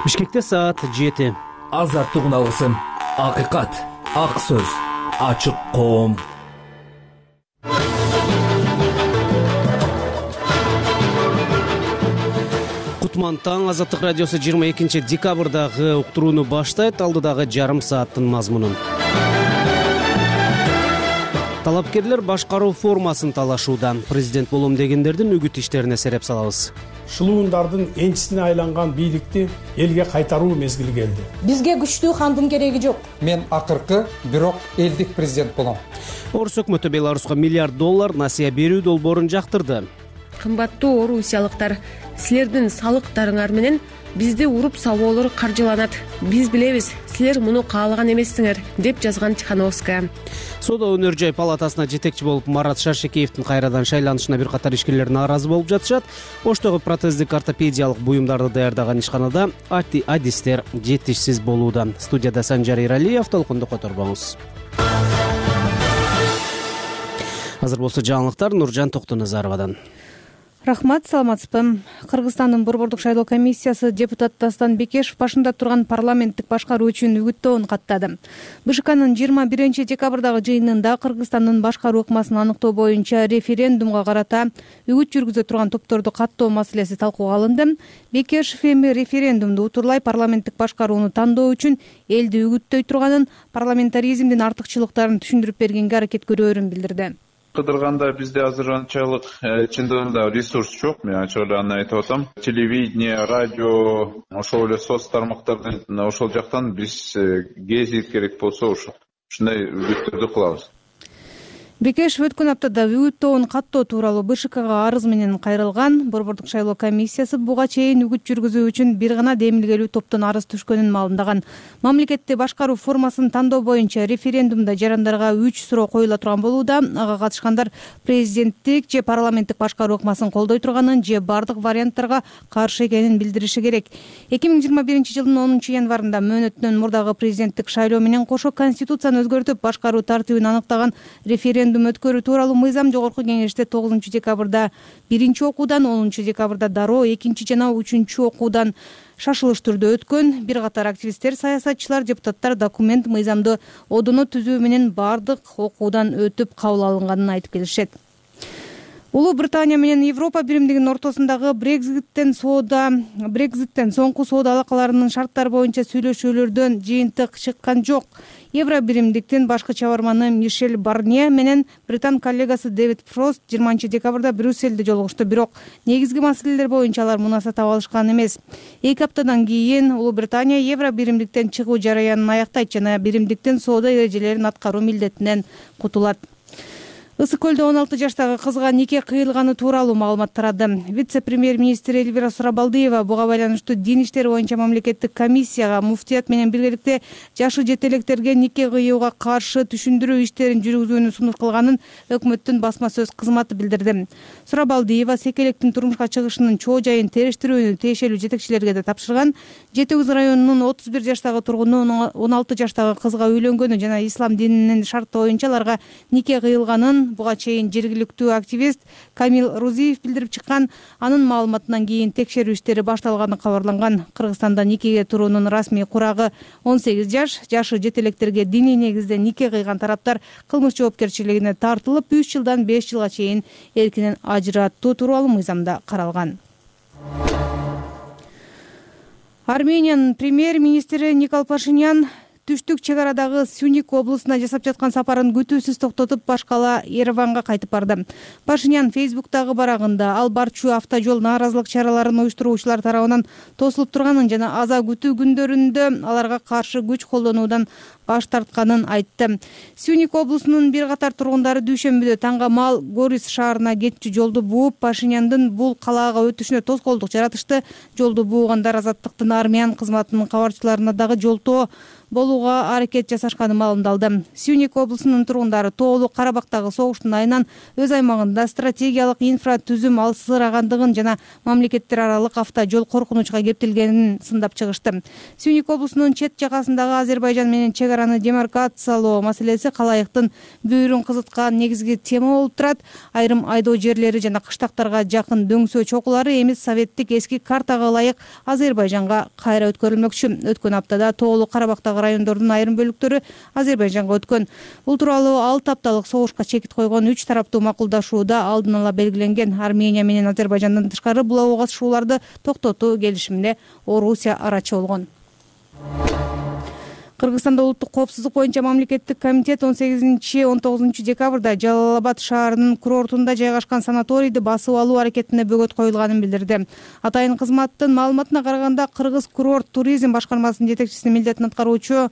Бишкекте саат 7. Азаттык алгысым, акыйкат, ак сөз, ачык коом. Кутман таң. Азаттык радиосу 22 декабрдагы уктурууну баштайт. Алдыдагы жарым сааттын мазмунун. Талапкерлер башкаруу формасын талашууда. Президент болом дегендердин үгүт иштерине сереп салабыз. Шылуундардын энчисине айланган бийликти элге кайтаруу мезгили келди. Бизге күчтүү хандын кереги жок. Мен акыркы, бирок элдик президент болом. Орус өкмөтү Беларуска $1 миллиард насыя берүү долбоорун жактырды. Кымбаттуу орусиялыктар, силердин салыктарыңар менен бизди уруп сабоолор каржыланат. Биз билебиз, силер муну каалаган эмессиңер, деп жазган Тихановская. Соода өнөр жай палатасына жетекчи болуп Марат Шаршекеевдин кайрадан шайланышына бир катар ишкерлер нааразы болуп жатышат. Оштогу протездик ортопедиялык буюмдарды даярдаган ишканада адистер жетишсиз болууда. Студияда Санжар Иралиев, толкунду которбоңуз. Азыр болсо жаңылыктар Нуржан Токтоназаровадан. Рахмат, саламатсызбы. Кыргызстандын Борбордук шайлоо комиссиясы депутат Дастан Бекешев башында турган парламенттик башкаруу үчүн үгүттөөн каттады. БШКнын 21 декабрдагы жыйынында Кыргызстандын башкаруу ыкмасын аныктоо боюнча референдумга карата үгүт жүргүзө турган топторду каттоо маселеси талкууга алынды. Бекешев эми референдумду утурлай парламенттик башкарууну тандоо үчүн элди үгүттөй турганын, парламентаризмдин артыкчылыктарын түшүндүрүп бергенге аракет көрөөрүн билдирди. Кыдырганда бизде азыр анчалык чындыгында ресурс жок. Мен ачык эле аны айтып атам. Телевидение, радио, ошол эле соц тармактардан ошол жактан биз гезит керек болсо ушундай үгүттөрдү кылабыз. Бекешев өткөн аптада үгүттөөн каттоо тууралуу БШКга арыз менен кайрылган. Борбордук шайлоо комиссиясы буга чейин үгүт жүргүзүү үчүн бир гана демилгелүү топтон арыз түшкөнүн маалымдаган. Мамлекетти башкаруу формасын тандоо боюнча референдумда жарандарга 3 суроо коюла турган болууда. Ага катышкандар президенттик же парламенттик башкаруу ыкмасын колдой турганын же бардык варианттарга каршы экенин билдириши керек. 2021 жылдын 10 январында мөөнөтүнөн мурдагы президенттик шайлоо менен кошо конституцияны өзгөртүп башкаруу тартибин аныктаган референдум өткөрүү тууралуу мыйзам жогорку кеңеште 9 декабрда биринчи окуудан, 10 декабрда дароо 2 жана 3 окуудан шашылыш түрдө өткөн. Бир катар активисттер, саясатчылар, депутаттар документ мыйзамды одоно түзүү менен бардык окуудан өтүп кабыл алынганын айтып келишет. Улуу Британия менен Европа биримдигинин ортосундагы Брекзиттен соңку соода алакаларынын шарттары боюнча сүйлөшүүлөрдөн жыйынтык чыккан жок. Евро биримдиктин башкы чабарманы Мишель Барнье менен британ коллегасы Дэвид Фрост 20 декабрда Брюссельде жолугушту, бирок негизги маселелер боюнча алар мунаса таба алышкан эмес. 2 аптадан кийин Улуу Британия Евро биримдиктен чыгуу жараянын аяктайт жана биримдиктин соода эрежелерин аткаруу милдетинен кутулат. Ысык көлдө 16 жаштагы кызга нике кыйылганы тууралуу маалымат тарады. Вице-премьер-министр Эльвира Сурабалдиева буга байланыштуу дин иштери боюнча мамлекеттик комиссияга муфтият менен биргеликте жашы жетелектерге нике кыюуга каршы түшүндүрүү иштерин жүргүзүүнү сунуш кылганын өкмөттүн басма сөз кызматы билдирди. Сурабалдиева секелектин турмушка чыгышынын чоо жайын териштирүүнү тиешелүү жетекчилерге да тапшырган. Жети Үз районунун 31 жаштагы тургуну 16 жаштагы кызга үйлөнгөнү жана ислам дининин шарты боюнча аларга нике кыйылганын буга чейин жергиликтүү активист Камил Рузиев билдирип чыккан. Анын маалыматынан кийин текшерүү иштери башталганы кабарланган. Кыргызстанда никеге туруунун расмий курагы 18 жаш. Жашы жетелектерге диний негизде нике кыйган тараптар кылмыш жоопкерчилигине тартылып, 3 жылдан 5 жылга чейин эркинен ажыраттуу тууралуу мыйзамда каралган. Армениянын премьер-министри Никол Пашинян түштүк чек арадагы Сюник облусуна жасап жаткан сапарын күтүүсүз токтотуп, башкала Ереванга кайтып барды. Пашинян Фейсбуктагы барагында ал барчу автожол нааразылык чараларын уюштуруучулар тарабынан тосулуп турганын жана аза күтүү күндөрүндө аларга каршы күч колдонуудан баш тартканын айтты. Сюник облусунун бир катар тургундары дүйшөмбүдө таңга маал Горис шаарына кетчү жолду бууп, Пашиняндын бул калаага өтүшүнө тоскоолдук жаратышты. Жолду буугандар Азаттыктын армян кызматынын кабарчыларына дагы жолтоо болууга аракет жасашканы маалымдалды. Сюник облусунун тургундары Тоолуу Карабактагы согуштун айынан өз аймагында стратегиялык инфратүзүм алсырагандыгын жана мамлекеттер аралык авто жол коркунучка кептелгенин сындап чыгышты. Сюник облусунун чет жагасындагы Азербайжан менен чек араны демаркациялоо маселеси калайыктын бүйүрүн кызыткан негизги тема болуп турат. Айрым айдоо жерлери жана кыштактарга жакын дөңсөө чокулары эми советтик эски картага ылайык Азербайжанга кайра өткөрүлмөкчү. Өткөн аптада Тоолуу Карабактагы райондордун айрым бөлүктөрү Азербайжанга өткөн. Бул тууралуу 6 апталык согушка чекит койгон 3 тараптуу макулдашууда алдын ала белгиленген. Армения менен Азербайжандан тышкары бул окугашууларды токтотуу келишимине Орусия арачы болгон. Кыргызстанда улуттук коопсуздук боюнча мамлекеттик комитет 18-19 декабрда Жалал Абад шаарынын курортунда жайгашкан санаторийди басып алуу аракетине бөгөт коюлганын билдирди. Атайын кызматтын маалыматына караганда, Кыргыз курорт туризм башкармасынын жетекчисинин милдетин аткаруучу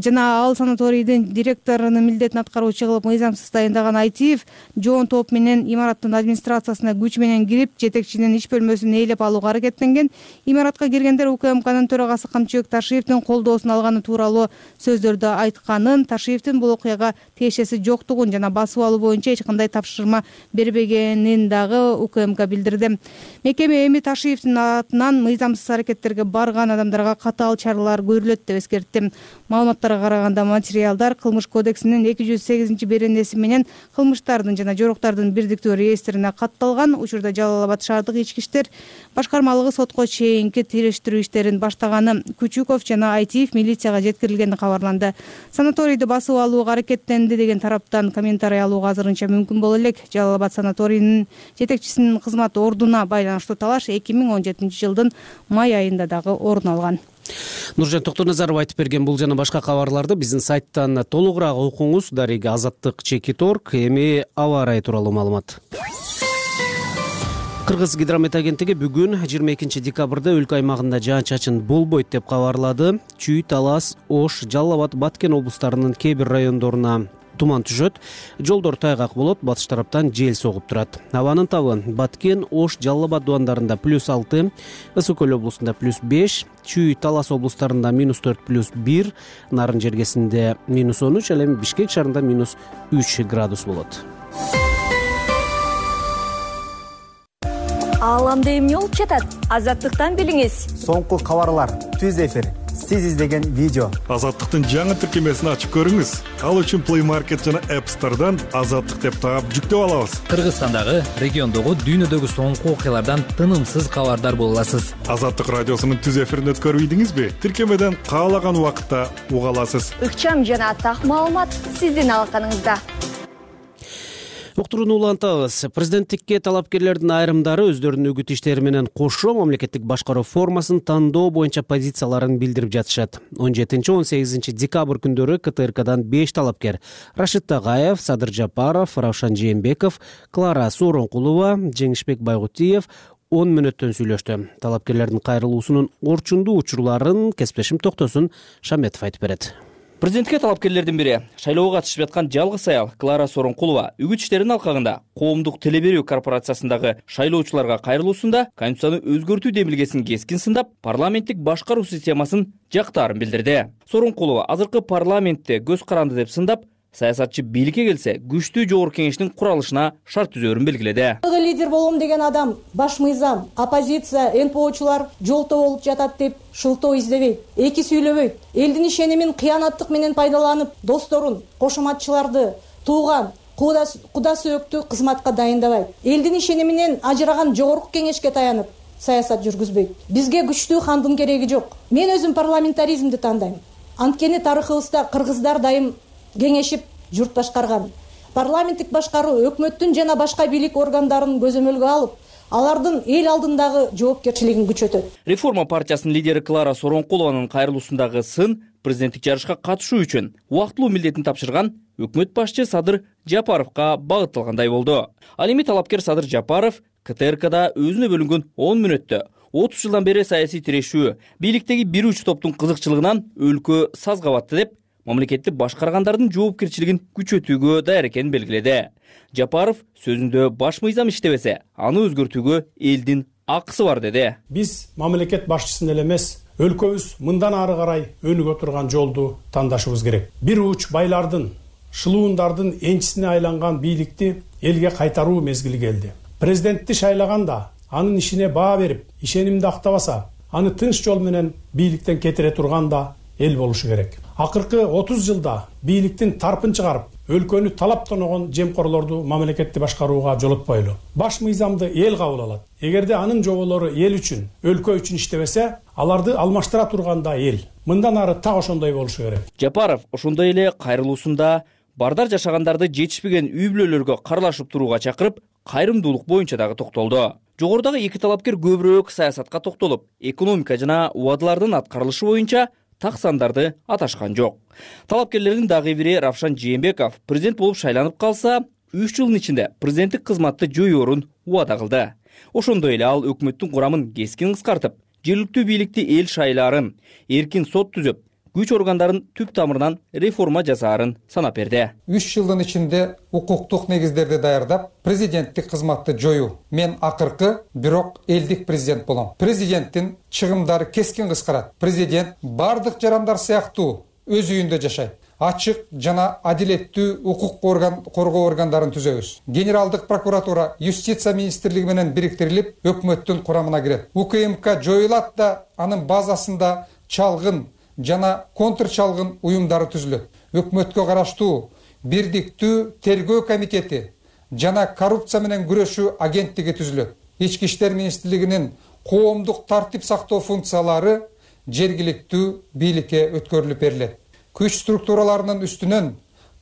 жана ал санаторийдин директорунун милдетин аткаруучу кылып мыйзамсыз дайындаган Айтиев жоон топ менен имараттын администрациясына күч менен кирип, жетекчинин иш бөлмөсүн ээлеп алууга аракеттенген. Имаратка киргендер УКМКнын төрагасы Камчыбек Ташиевдин колдоосун алганы тууралуу сөздөрдү айтканын, Ташиевдин бул окуяга тиешеси жоктугун жана басып алуу боюнча эч кандай тапшырма бербегенин дагы УКМК билдирди. Мекеме эми Ташиевдин атынан мыйзамсыз аракеттерге барган адамдарга катаал чаралар көрүлөт деп эскертти. Маалыматтарга караганда, материалдар Кылмыш кодексинин 208-беренеси менен кылмыштардын жана жоруктардын бирдиктүү реестрине катталган. Учурда Жалал Абад шаардык ички иштер башкармалыгы сотко чейинки териштирүү иштерин баштаганы. Күчүков жана Айтиев милицияга жеткирилгени кабарланды. Санаторийди басып алууга аракеттенди деген тараптан комментарий алууга азырынча мүмкүн боло элек. Жалал Абад санаторийинин жетекчисинин кызмат ордуна байланыштуу талаш 2017 жылдын май айында дагы орун алган. Нуржан Токтоназаров айтып берген бул жана башка кабарларды биздин сайттан толугураак окуңуз. Дареги Азаттык Чекит.орг. Эми аба ырайы тууралуу маалымат. Кыргыз гидромет агенттиги бүгүн 22 декабрда өлкө аймагында жаан-чачын болбойт деп кабарлады. Чүй, Талас, Ош, Жалал Абад, Баткен облустарынын кээ бир райондоруна туман түшөт. Жолдор тайгак болот, батыш тараптан жел согуп турат. Абанын табы Баткен, Ош, Жалал Абад дубандарында +6, Ысык Көл облусунда +5, Чүй, Талас облустарында -4+1, Нарын жергесинде -13, ал эми Бишкек шаарында -3 градус болот. Ааламда эмне болуп жатат? Азаттыктан билиңиз. Соңку кабарлар, түз эфир, сиз издеген видео. Азаттыктын жаңы тиркемесин ачып көрүңүз. Ал үчүн Play Market жана App Store'дан Азаттык деп таап жүктөп алабыз. Кыргызстандагы, региондогу, дүйнөдөгү соңку окуялардан тынымсыз кабардар боло аласыз. Азаттык радиосунун түз эфирин өткөрбөйдүңүзбү? Тиркемеден каалаган убакытта уга аласыз. Ыкчам жана так маалымат сиздин алаканыңызда. Уктурууну улантабыз. Президенттикке талапкерлердин айрымдары өздөрүнүн үгүт иштери менен кошо мамлекеттик башкаруу формасын тандоо боюнча позицияларын билдирип жатышат. 17-18 декабрь күндөрү КТРКдан 5 талапкер Рашид Тагаев, Садыр Жапаров, Равшан Жээнбеков, Клара Сооронкулова, Жеңишбек Байгутиев 10 мүнөттөн сүйлөштү. Талапкерлердин кайрылуусунун орчундуу учурларын кесиптешим Токтосун Шаметов айтып берет. Президентке талапкерлердин бири шайлоого катышып жаткан жалгыз аял Клара Сооронкулова үгүт иштеринин алкагында коомдук теле берүү корпорациясындагы шайлоочуларга кайрылуусунда Конституцияны өзгөртүү демилгесин кескин сындап, парламенттик башкаруу системасын жактаарын билдирди. Сооронкулова азыркы парламентте көз каранды деп сындап, саясатчы бийликке келсе күчтүү жогорку кеңештин куралышына шарт түзөөрүн белгиледи. Лидер болом деген адам, баш мыйзам, оппозиция, НПОчулар жолто болуп жатат деп шылтоо издебейт, эки сүйлөбөйт. Элдин ишенимин кыянаттык менен пайдаланып, досторун, кошоматчыларды, тууган, куда сөөктү кызматка дайындабайт. Элдин ишениминен ажыраган жогорку кеңешке таянып саясат жүргүзбөйт. Бизге күчтүү хандын кереги жок. Мен өзүм парламентаризмди тандайм. Анткени тарыхыбызда кыргыздар дайым кеңешип журт башкарган. Парламенттик башкаруу өкмөттүн жана башка бийлик органдарын көзөмөлгө алып, алардын эл алдындагы жоопкерчилигин күчөтөт. Реформа партиясынын лидери Клара Сооронкулованын кайрылуусундагы сын президенттик жарышка катышуу үчүн убактылуу милдетин тапшырган өкмөт башчы Садыр Жапаровго багытталгандай болду. Ал эми талапкер Садыр Жапаров КТРКда өзүнө бөлүнгөн 10 мүнөттө 30 жылдан бери саясий тирешүү, бийликтеги бир уч топтун кызыкчылыгынан өлкө сазга батты деп мамлекетти башкаргандардын жоопкерчилигин күчөтүүгө даяр экенин белгиледи. Жапаров сөзүндө баш мыйзам иштебесе, аны өзгөртүүгө элдин акысы бар деди. Биз мамлекет башчысын эле эмес, өлкөбүз мындан ары карай өнүгө турган жолду тандашыбыз керек. Бир уч байлардын, шылуундардын энчисине айланган бийликти элге кайтаруу мезгили келди. Президентти шайлаганда анын ишине баа берип, ишенимди актабаса, аны тынч жол менен бийликтен кетире турган да эл болушу керек. Акыркы 30 жылда бийликтин тарпын чыгарып, өлкөнү талап тоногон жемкорлорду мамлекетти башкарууга жолотпойлу. Баш мыйзамды эл кабыл алат. Эгерде анын жоболору эл үчүн, өлкө үчүн иштебесе, аларды алмаштыра турганда эл. Мындан ары так ошондой болушу керек. Жапаров ошондой эле кайрылуусунда бардар жашагандарды жетишпеген үй бүлөлөргө карлашып турууга чакырып, кайрымдуулук боюнча дагы токтолду. Жогорудагы эки талапкер көбүрөөк саясатка токтолуп, экономика жана убадалардын аткарылышы боюнча так сандарды аташкан жок. Талапкерлердин дагы бири Равшан Жээнбеков президент болуп шайланып калса, 3 жылдын ичинде президенттик кызматты жоюорун убада кылды. Ошондой эле ал өкмөттүн курамын кескин кыскартып, жергиликтүү бийликти эл шайлаарын, эркин сот түзүп, күч органдарын түп тамырынан реформа жасаарын санап берди. 3 жылдын ичинде укуктук негиздерди даярдап, президенттик кызматты жою. Мен акыркы, бирок элдик президент болом. Президенттин чыгымдары кескин кыскарат. Президент бардык жарандар сыяктуу өз үйүндө жашайт. Ачык жана адилеттүү укук коргоо органдарын түзөбүз. Генералдык прокуратура, юстиция министрлиги менен бириктирилип, өкмөттүн курамына кирет. УКМК жоюлат да, анын базасында чалгын жана контрчалгын уюмдары түзүлөт. Өкмөткө караштуу бирдиктүү тергөө комитети жана коррупция менен күрөшүү агенттиги түзүлөт. Ички иштер министрлигинин коомдук тартип сактоо функциялары жергиликтүү бийликке өткөрүлүп берилет. Күч структураларынын үстүнөн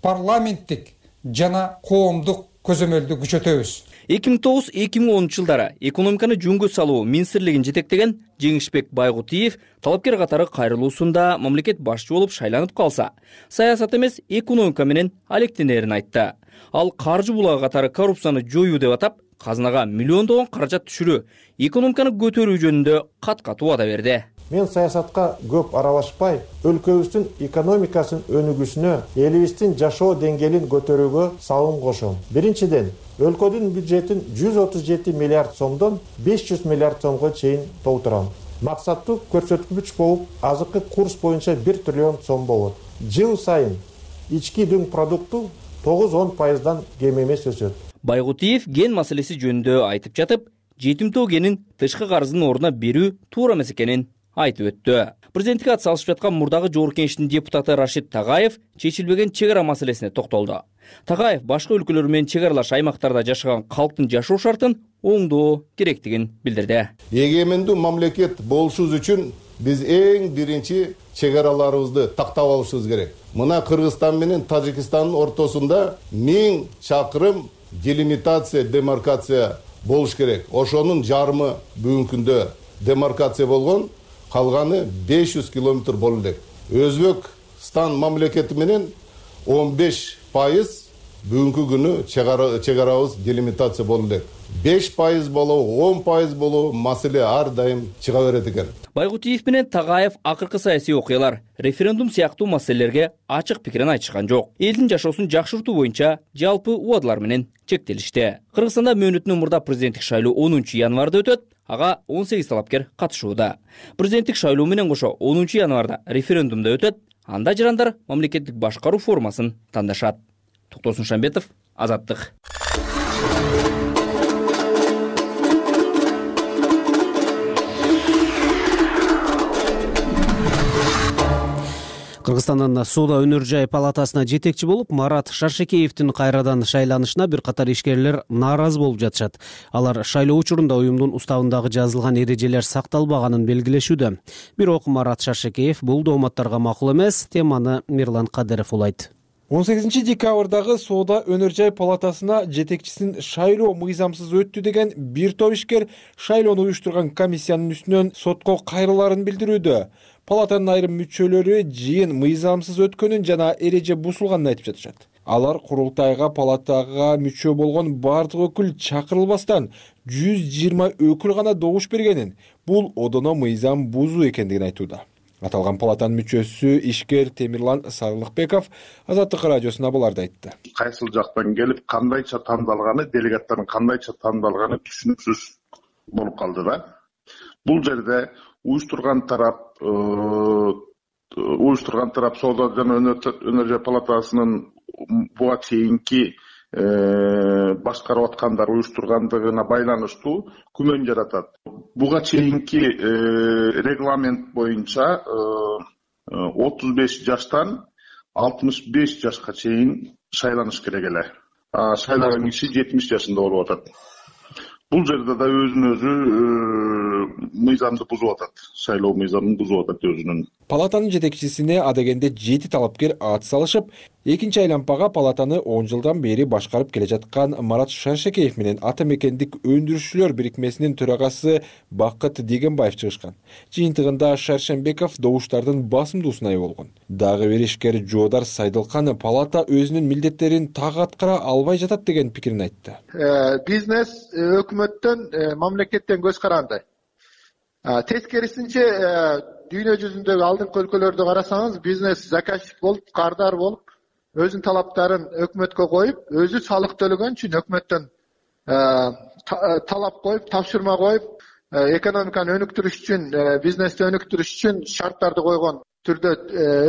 парламенттик жана коомдук көзөмөлдү күчөтөбүз. 2009-2010 жылдары экономиканы жөнгө салуу министрлигин жетектеген Жеңишбек Байгутиев талапкер катары кайрылуусунда мамлекет башчы болуп шайланып калса, саясат эмес экономика менен алектенерин айтты. Ал каржы булагы катары коррупцияны жоюу деп атап, казынага миллиондогон каражат түшүрүү, экономиканы көтөрүү жөнүндө кат-кат убада берди. Мен саясатка көп аралашпай, өлкөбүздүн экономикасын өнүгүүсүнө, элибиздин жашоо деңгээлин көтөрүүгө салым кошом. Биринчиден, өлкөдүн бюджетин 137 миллиард сомдон 500 миллиард сомго чейин толтурам. Максаттуу көрсөткүч болуп, азыркы курс боюнча 1 триллион сом болот. Жыл сайын ички дүң продукту 9-10% кем эмес өсөт. Байгутиев ген маселеси жөнүндө айтып жатып, жетимтөө генин тышкы карыздын ордуна берүү туура эмес экенин айтып өттү. Президенттикке атсалышып жаткан мурдагы Жогорку Кеңештин депутаты Рашид Тагаев чечилбеген чек ара маселесине токтолду. Тагаев башка өлкөлөр менен чек аралаш аймактарда жашаган калктын жашоо шартын оңдоо керектигин билдирди. Эгемендүү мамлекет болушубуз үчүн биз эң биринчи чек араларыбызды тактап алышыбыз керек. Мына Кыргызстан менен Тажикстандын ортосунда 1000 чакырым делимитация, демаркация болуш керек. Ошонун жарымы бүгүнкү күндө демаркация болгон, калганы 500 километр болу элек. Өзбекстан мамлекети менен 15% бүгүнкү күнү чек арабыз делимитация болу элек. 5% болобу, 10% болобу маселе ар дайым чыга берет экен. Байгутиев менен Тагаев акыркы саясий окуялар, референдум сыяктуу маселелерге ачык пикирин айтышкан жок. Элдин жашоосун жакшыртуу боюнча жалпы убадалар менен чектелишти. Кыргызстанда мөөнөтүнөн мурда президенттик шайлоо 10 январда өтөт. Ага 18 талапкер катышууда. Президенттик шайлоо менен кошо 10 январда референдумда өтөт. Анда жарандар мамлекеттик башкаруу формасын тандашат. Токтосун Шамбетов, Азаттык. Кыргызстандын Соода өнөр жай палатасына жетекчи болуп, Марат Шаршекеевдин кайрадан шайланышына бир катар ишкерлер нааразы болуп жатышат. Алар шайлоо учурунда уюмдун уставындагы жазылган эрежелер сакталбаганын белгилешүүдө. Бирок Марат Шаршекеев бул дооматтарга макул эмес. Теманы Мирлан Кадыров улайт. 18 декабрдагы Соода өнөр жай палатасына жетекчисин шайлоо мыйзамсыз өттү деген бир топ ишкер шайлоону уюштурган комиссиянын үстүнөн сотко кайрылаарын билдирүүдө. Палатанын айрым мүчөлөрү жыйын мыйзамсыз өткөнүн жана эреже бузулганын айтып жатышат. Алар курултайга палатага мүчө болгон бардык өкүл чакырылбастан 120 өкүл гана добуш бергенин, бул одоно мыйзам бузуу экендигин айтууда. Аталган палатанын мүчөсү ишкер Темирлан Сарылыкбеков Азаттык радиосуна буларды айтты. Кайсыл жактан келип, кандайча тандалганы, делегаттардын кандайча тандалганы түшүнүксүз. болуп калды да. Бул жерде уюштурган тарап Соода жана өнөр жай палатасынын буга чейинки башкарып аткандар уюштургандыгына байланыштуу күмөн жаратат. Буга чейинки регламент боюнча 35 жаштан 65 жашка чейин шайланыш керек эле. Шайланган киши 70 жашында болуп атат. Бул жерде да өзүн-өзү мыйзамды бузуп атат. Шайлоо мыйзамын бузуп атат өзүнүн. Палатанын жетекчисине адегенде 7 талапкер ат салышып, экинчи айлампага палатаны 10 жылдан бери башкарып келе жаткан Марат Шаршекеев менен Ата мекендик өндүрүшчүлөр бирикмесинин төрагасы Бакыт Дегенбаев чыгышкан. Жыйынтыгында Шаршенбеков добуштардын басымдуусуна ээ болгон. Дагы бир ишкер Жоодар Сайдылкан палата өзүнүн милдеттерин так аткара албай жатат деген пикирин айтты. Бизнес өкмөттөн, мамлекеттен көз каранды. Тескерисинче дүйнө жүзүндөгү алдыңкы өлкөлөрдү карасаңыз, бизнес заказчик болуп, кардар болуп, өзүнүн талаптарын өкмөткө коюп, өзү салык төлөгөн үчүн өкмөттөн талап коюп, тапшырма коюп, экономиканы өнүктүрүш үчүн, бизнести өнүктүрүш үчүн шарттарды койгон түрдө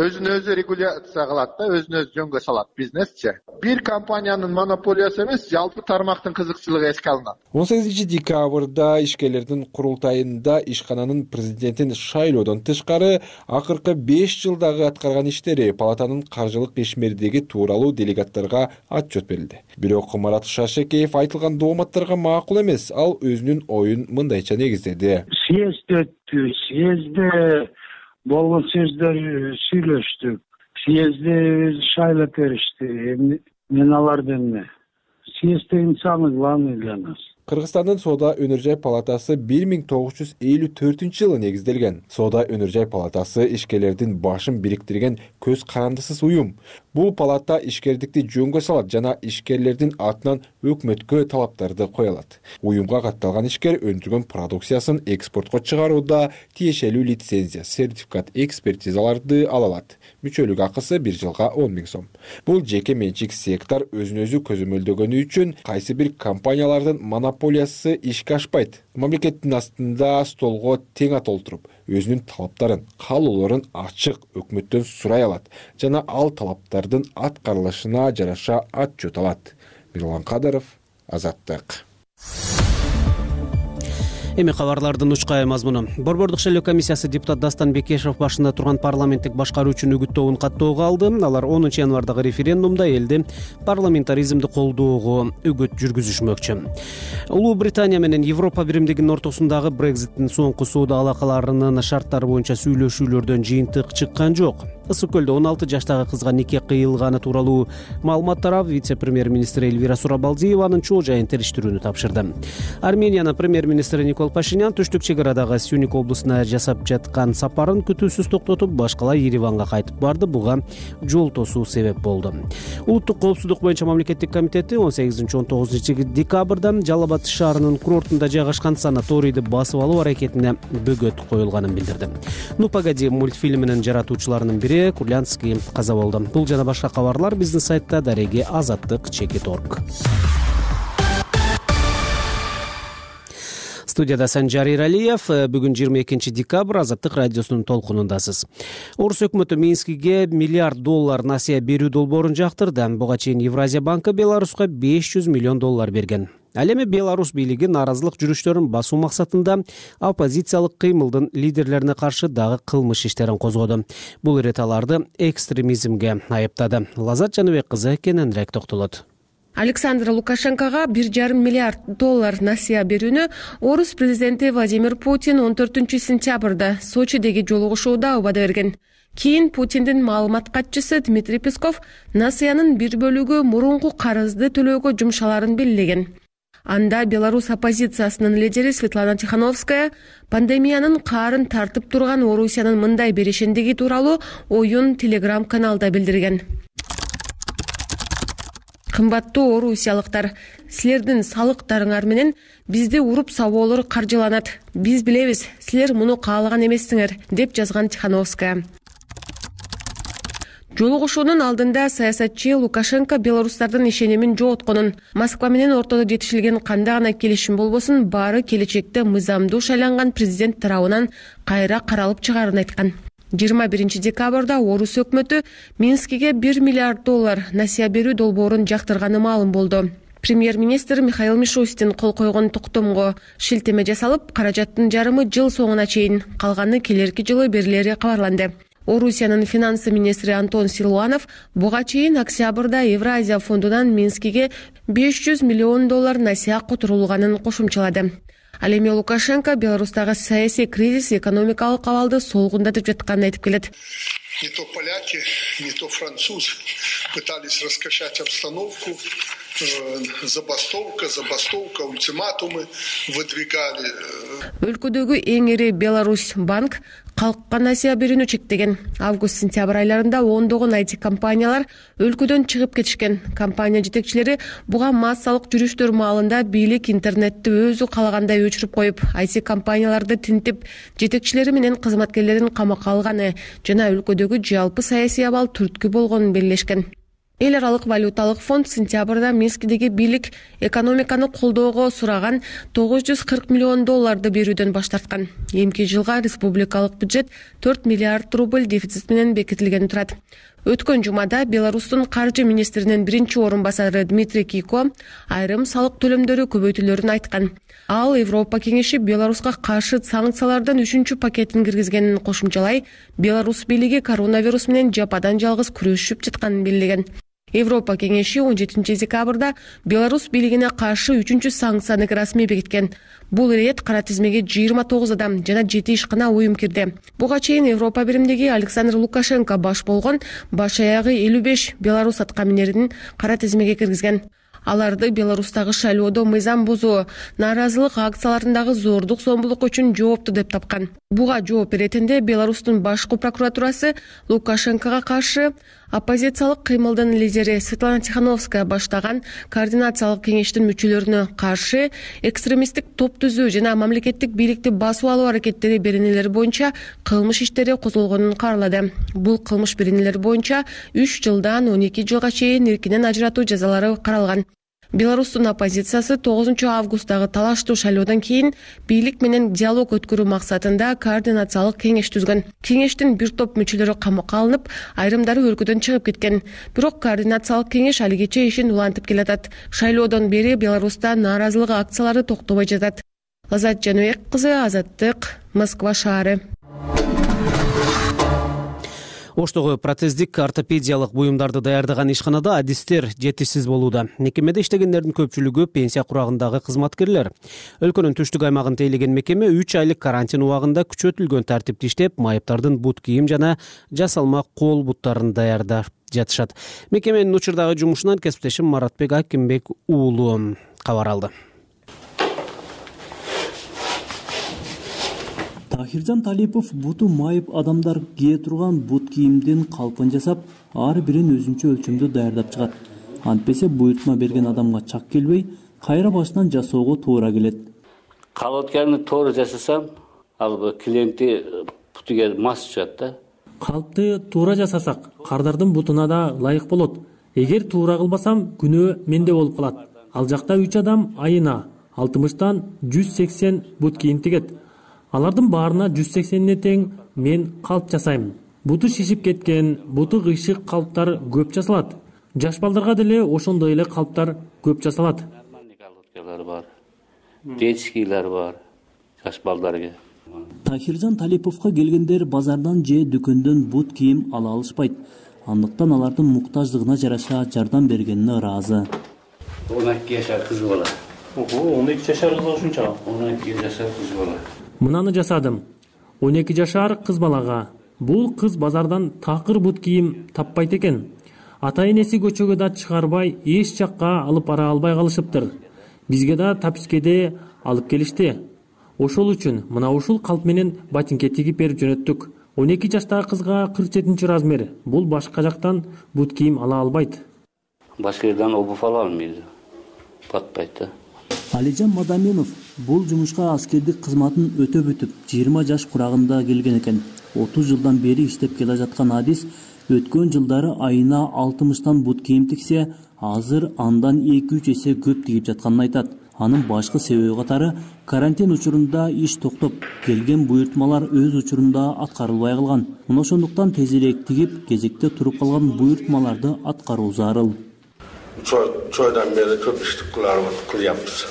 өзүн өзү регуляция кылат да, өзүн өзү жөнгө салат бизнесчи. Бир компаниянын монополиясы эмес, жалпы тармактын кызыкчылыгы эске алынат. 18 декабрда ишкерлердин курултайында ишкананын президентин шайлоодон тышкары акыркы 5 жылдагы аткарган иштери, палатанын каржылык ишмердиги тууралуу делегаттарга отчет берилди. Бирок Марат Шаршекеев айтылган дооматтарга макул эмес, ал өзүнүн оюн мындайча негиздеди. Съезд өттү, съезде болгон сөздөр сүйлөштүк. Съезде шайлап беришти. Мен аларды эмне? Съезд деген самый главный для нас. Кыргызстандын Соода өнөр жай палатасы 1954-жылы негизделген. Соода өнөр жай палатасы ишкерлердин башын бириктирген көз карандысыз уюм. Бул палата ишкердикти жөнгө салат жана ишкерлердин атынан өкмөткө талаптарды кое алат. Уюмга катталган ишкер өндүргөн продукциясын экспортко чыгарууда тиешелүү лицензия, сертификат, экспертизаларды ала алат. Мүчөлүк акысы 1 жылга 10 000 сом. Бул жеке менчик сектор өзүн-өзү көзөмөлдөгөнү үчүн кайсы бир компаниялардын монополиясы ишке ашпайт. Мамлекеттин астында столго тең ат олтуруп, өзүнүн талаптарын, каалоолорун ачык өкмөттөн сурай алат жана ал талаптардын аткарылышына жараша отчет алат. Мирлан Кадыров, Азаттык. Эми кабарлардын учкай мазмуну. Борбордук шайлоо комиссиясы депутат Дастан Бекешев башында турган парламенттик башкаруучунун үгүт тобун каттоого алды. Алар 10 январдагы референдумда элди парламентаризмди колдоого үгүт жүргүзүшмөкчү. Улуу Британия менен Европа биримдигинин ортосундагы Брекзиттин соңку соода алакаларынын шарттары боюнча сүйлөшүүлөрдөн жыйынтык чыккан жок. Ысык көлдө 16 жаштагы кызга нике кыйылганы тууралуу маалымат тарап, вице-премьер-министр Эльвира Сурабалдиеванын чоо жайын териштирүүнү тапшырды. Армениянын премьер-министри Никол Пашинян түштүк чек арадагы Сюник облусуна жасап жаткан сапарын күтүүсүз токтотуп, башкалай Ереванга кайтып барды. Буга жол тосуу себеп болду. Улуттук коопсуздук боюнча мамлекеттик комитети 18-19 декабрда Жалал Абад шаарынын курортунда жайгашкан санаторийди басып алуу аракетине бөгөт коюлганын билдирди. Ну погоди мультфильминин жаратуучуларынын бири Курлянский каза болду. Бул жана башка кабарлар биздин сайтта дареги azattik.org. Студияда Санжар Иралиев. Бүгүн 22 декабрь Азаттык радиосунун толкунундасыз. Орус өкмөтү Минскиге $1 миллиард насыя берүү долбоорун жактырды. Буга чейин Евразия банкы Беларуска $500 миллион берген. Ал эми Беларусь бийлиги нааразылык жүрүштөрүн басуу максатында оппозициялык кыймылдын лидерлерине каршы дагы кылмыш иштерин козгоду. Бул ирет аларды экстремизмге айыптады. Лазат Жаныбек кызы кененирээк токтолот. Александр Лукашенкога $1,5 миллиард насыя берүүнү орус президенти Владимир Путин 14 сентябрда Сочидеги жолугушууда убада берген. Кийин Путиндин маалымат катчысы Дмитрий Песков насыянын бир бөлүгү мурунку карызды төлөөгө жумшаларын белгилеген. Анда Беларусь оппозициясынын лидери Светлана Тихановская пандемиянын каарын тартып турган Орусиянын мындай беришендиги тууралуу оюн телеграм-каналда билдирген. Кымбаттуу орусиялыктар, силердин салыктарыңар менен бизди уруп сабоолор каржыланат. Биз билебиз, силер муну каалаган эмессиңер, деп жазган Тихановская. Жолугушуунун алдында саясатчы Лукашенко белорустардын ишенимин жоготконун, Москва менен ортодо жетишилген кандай гана келишим болбосун, баары келечекте мыйзамдуу шайланган президент тарабынан кайра каралып чыгаарын айткан. 21 декабрда орус өкмөтү Минскиге $1 миллиард насыя берүү долбоорун жактырганы маалым болду. Премьер-министр Михаил Мишустин кол койгон токтомго шилтеме жасалып, каражаттын жарымы жыл соңуна чейин, калганы келерки жылы берилери кабарланды. Орусиянын финансы министри Антон Силуанов буга чейин октябрда Евразия фондунан Минскиге $500 миллион насыя которулганын кошумчалады. Ал эми Лукашенко Беларустагы саясий кризис экономикалык абалды солгундатып жатканын айтып келет. Не то поляки, не то французы пытались раскачать обстановку, забастовка, ультиматумы выдвигали. Өлкөдөгү эң ири Беларусь банк калкка насыя берүүнү чектеген. Август-сентябрь айларында ондогон IT компаниялар өлкөдөн чыгып кетишкен. Компания жетекчилери буга массалык жүрүштөр маалында бийлик интернетти өзү калагандай өчүрүп коюп, IT компанияларды тинтип, жетекчилери менен кызматкерлерин камакка алганы жана өлкөдөгү жалпы саясий абал түрткү болгонун белгилешкен. Эл аралык валюталык фонд сентябрда Минскидеги бийлик экономиканы колдоого сураган $940 миллион берүүдөн баш тарткан. Эмки жылга республикалык бюджет $4 миллиард дефицит менен бекитилген турат. Өткөн жумада Беларустун каржы министринин биринчи орун басары Дмитрий Кийко айрым салык төлөмдөрү көбөйтүлөрүн айткан. Ал Европа кеңеши Беларуска каршы санкциялардын 3-чү пакетин киргизгенин кошумчалай, Беларус бийлиги коронавирус менен жападан жалгыз күрөшүп жатканын белгилеген. Европа кеңеши 17 декабрда Беларус бийлигине каршы 3-чү санкцияны расмий бекиткен. Бул ирет кара тизмеге 29 адам жана 7 ишкана уюм кирди. Буга чейин Европа биримдиги Александр Лукашенко баш болгон баш аягы 55 Беларус аткаминерин кара тизмеге киргизген. Аларды Беларустагы шайлоодо мыйзам бузуу, нааразылык акцияларындагы зордук зомбулук үчүн жоопту деп тапкан. Буга жооп беретинде Беларустун башкы прокуратурасы Лукашенкого каршы оппозициялык кыймылдын лидери Светлана Тихановская баштаган координациялык кеңештин мүчөлөрүнө каршы экстремисттик топ түзүү жана мамлекеттик бийликти басуу алуу аракеттери беренелери боюнча кылмыш иштери козголгонун каарлады. Бул кылмыш беренелери боюнча 3 жылдан 12 жылга чейин эркинен ажыратуу жазалары каралган. Беларустун оппозициясы 9 августтагы талаштуу шайлоодон кийин бийлик менен диалог өткөрүү максатында координациялык кеңеш түзгөн. Кеңештин бир топ мүчөлөрү камакка алынып, айрымдары өлкөдөн чыгып кеткен. Бирок координациялык кеңеш алигече ишин улантып келатат. Шайлоодон бери Беларуста нааразылык акциялары токтобой жатат. Лазат Жаныбек кызы, Азаттык, Москва шаары. Оштогу протездик ортопедиялык буюмдарды даярдаган ишканада адистер жетишсиз болууда. Мекемеде иштегендердин көпчүлүгү пенсия курагындагы кызматкерлер. Өлкөнүн түштүк аймагын тейлеген мекеме 3 айлык карантин убагында күчөтүлгөн тартипте иштеп, майыптардын бут кийим жана жасалма кол буттарын даярдап жатышат. Мекеменин учурдагы жумушунан кесиптешим Маратбек Акимбек уулу кабар алды. Тахиржан Талипов буту майып адамдар кие турган бут кийимдин калпын жасап, ар бирин өзүнчө өлчөмдө даярдап чыгат. Антпесе буйртма берген адамга чак келбей, кайра башынан жасоого туура келет. Калотканы туура жасасам, ал клиенти бутуга мас чыгат да. Калпты туура жасасак, кардардын бутуна да ылайык болот. Эгер туура кылбасам, күнөө менде болуп калат. Ал жакта 3 адам айына 60-тан 180 бут кийим тигет. Алардын баарына 180-не тең мен калп жасайм. Буту шишип кеткен, буту кыйшык калптар көп жасалат. Жаш балдарга деле ошондой эле калптар көп жасалат. Калоткалар бар, детскийлер бар, жаш балдарга. Тахиржан Талиповго келгендер базардан же дүкөндөн бут кийим ала алышпайт. Андыктан алардын муктаждыгына жараша жардам бергенине ыраазы. 12 жашар кыз бала. 12 жашар кыз ушунча. 12 жашар кыз бала. Мынаны жасадым. 12 жашар кыз балага. Бул кыз базардан такыр бут кийим таппайт экен. Ата-энеси көчөгө да чыгарбай, эч жакка алып бара албай калышыптыр. Бизге да тапискеде алып келишти. Ошол үчүн мына ушул калп менен ботинке тигип берип жөнөттүк. 12 жаштагы кызга 47 размер. Бул башка жактан бут кийим ала албайт. Башка жерден обувь ала алмайт. Батпайт да. Алижан Мадаминов бул жумушка аскердик кызматын өтөп бүтүп 20 жаш курагында келген экен. 30 жылдан бери иштеп келе жаткан адис Өткөн жылдары айына 60 бут кийим тиксе, азыр андан 2-3 эсе көп тигип жатканын айтат. Анын башкы себеби катары карантин учурунда иш токтоп, келген буйртмалар өз учурунда аткарылбай калган. Мына ошондуктан тез элек тигип, кезекте туруп калган буйртмаларды аткаруу зарыл. Чойдан бери көп иштик кылябыз.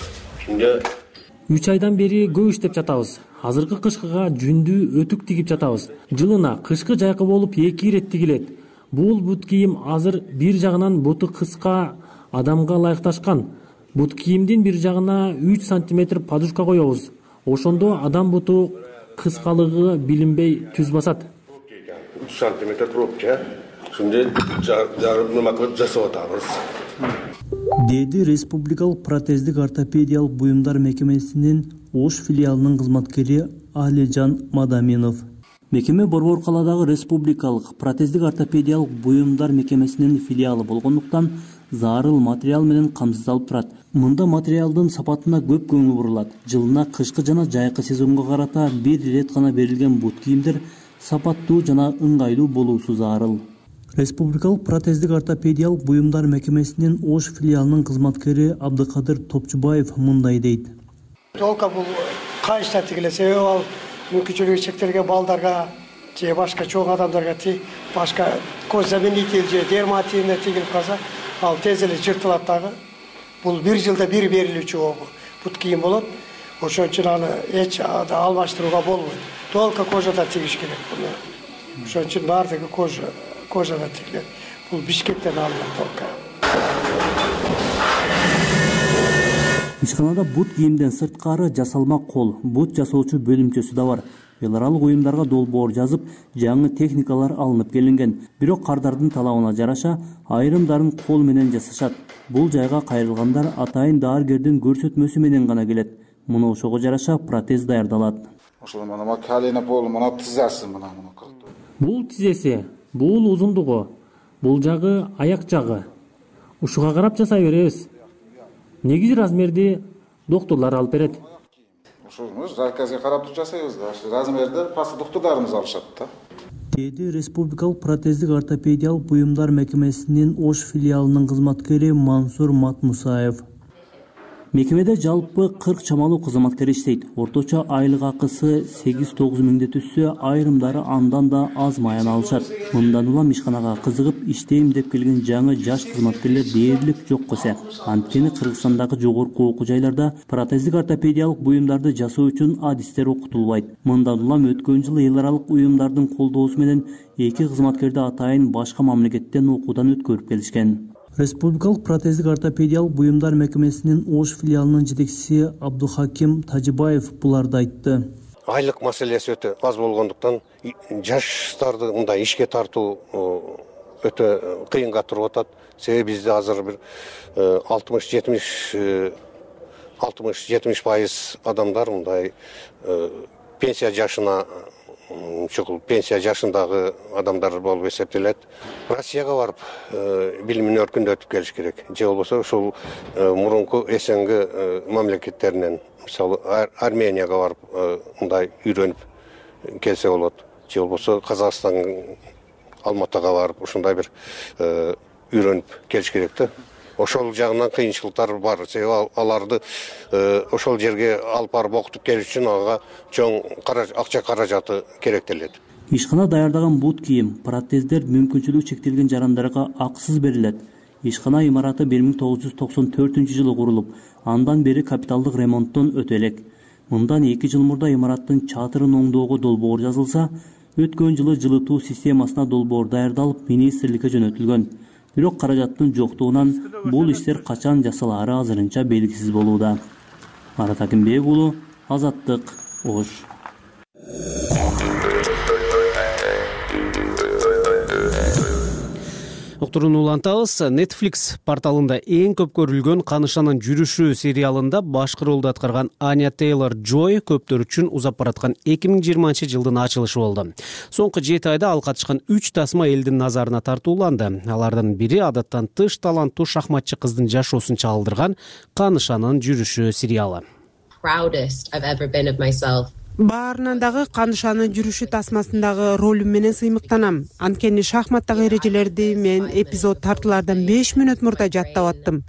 3 айдан бери көп иштеп жатабыз. Азыркы кышкыга жүндүү өтүк тигип жатабыз. Жылына кышкы жайкы болуп 2 ирет тигилет. Бул бут кийим азыр бир жагынан буту кыска адамга ылайыкташкан. Бут кийимдин бир жагына 3 сантиметр подушка коебуз. Ошондо адам буту кыскалыгы билинбей түз басат. 3 сантиметр пробка. Шундай жарым макет жасап атабыз. Деди Республикалык протездик ортопедиялык буюмдар мекемесинин Ош филиалынын кызматкери Алижан Мадаминов. Мекеме Борбор калаадагы Республикалык протездик ортопедиялык буюмдар мекемесинин филиалы болгондуктан зарыл материал менен камсыздалып турат. Мында материалдын сапатына көп көңүл бурулат. Жылына кышкы жана жайкы сезонго карата бир ирет гана берилген бут кийимдер сапаттуу жана ыңгайлуу болуусу зарыл. Республикалык протездик ортопедиялык буюмдар мекемесинин Ош филиалынын кызматкери Абдыкадыр Топчубаев мындай дейт. Толка бул кайышта тигилет, себеби ал мүмкүнчүлүгү чектелген балдарга же башка чоң адамдарга башка кожзаменитель же дерматинде тигилип калса, ал тез эле жыртылат дагы. Бул бир жылда бир берилүүчү бут кийим болот. Ошон үчүн аны эч алмаштырууга болбойт. Толка кожада тигиш керек буну. Ошон үчүн баардыгы кожада тигилет. Бул Бишкектен алынган толка. Ишканада бут кийимден сырткары жасалма кол, бут жасоочу бөлүмчөсү да бар. Эл аралык уюмдарга долбоор жазып, жаңы техникалар алынып келинген. Бирок кардардын талабына жараша айрымдарын кол менен жасашат. Бул жайга кайрылгандар атайын дааргердин көрсөтмөсү менен гана келет. Муну ошого жараша протез даярдалат. Ошол мына калина пол, мына тизасы мына. Бул тизеси, бул узундугу, бул жагы аяк жагы. Ушуга карап жасай беребиз. Негизи размерди доктурлар алып берет. Ошону заказга карап жасайбыз да. Размерди пасы доктурларыбыз алышат да. Деди Республикалык протездик ортопедиялык буюмдар мекемесинин Ош филиалынын кызматкери Мансур Матмусаев. Мекемеде жалпы 40 чамалуу кызматкер иштейт. Орточо айлык акысы 8-9 миңди түшсө, айрымдары андан да аз маян алышат. Мындан улам ишканага кызыгып иштейм деп келген жаңы жаш кызматкерлер дээрлик жок кесе. Анткени Кыргызстандагы жогорку окуу жайларда протездик ортопедиялык буюмдарды жасоо үчүн адистер окутулбайт. Мындан улам өткөн жылы эл аралык уюмдардын колдоосу менен 2 кызматкерди атайын башка мамлекеттен окуудан өткөрүп келишкен. Республикалык протездик ортопедиялык буюмдар мекемесинин Ош филиалынын жетекчиси Абдухаким Тажибаев буларды айтты. Айлык маселеси өтө аз болгондуктан жаштарды мындай ишке тартуу өтө кыйынга туруп атат. Себеби бизде азыр бир 60-70% адамдар мындай пенсия жашына чукул пенсия жашындагы адамдар болуп эсептелет. Россияга барып билимин өркүндөтүп келиш керек. Же болбосо ушул мурунку СНГ мамлекеттеринен, мисалы Арменияга барып мындай үйрөнүп келсе болот. Же болбосо Казакстан, Алматага барып ушундай бир үйрөнүп келиш керек да. Ошол жагынан кыйынчылыктар бар. Себеби аларды ошол жерге алып барып окутуп келиш үчүн ага чоң акча каражаты керектелет. Ишкана даярдаган бут кийим, протездер мүмкүнчүлүгү чектелген жарандарга акысыз берилет. Ишкана имараты 1994-жылы курулуп, андан бери капиталдык ремонттон өтө элек. Мындан 2 жыл мурда имараттын чатырын оңдоого долбоор жазылса, өткөн жылы жылытуу системасына долбоор даярдалып, министрликке жөнөтүлгөн. Бирок каражаттын жоктугунан бул иштер качан жасалаары азырынча белгисиз болууда. Марат Акимбек уулу, Азаттык, Ош. Уктурууну улантабыз. Netflix порталында эң көп көрүлгөн Канышанын жүрүшү сериалында башкы ролду аткарган Аня Тейлор-Джой көптөр үчүн узап бараткан 2020-жылдын ачылышы болду. Соңку 7 айда ал катышкан 3 тасма элдин назарына тартууланды. Алардын бири адаттан тыш таланттуу шахматчы кыздын жашоосун чагылдырган Канышанын жүрүшү сериалы. Баарынан дагы Канышанын жүрүшү тасмасындагы ролум менен сыймыктанам. Анткени шахматтагы эрежелерди мен эпизод тартуулардан 5 мүнөт мурда жаттап аттым.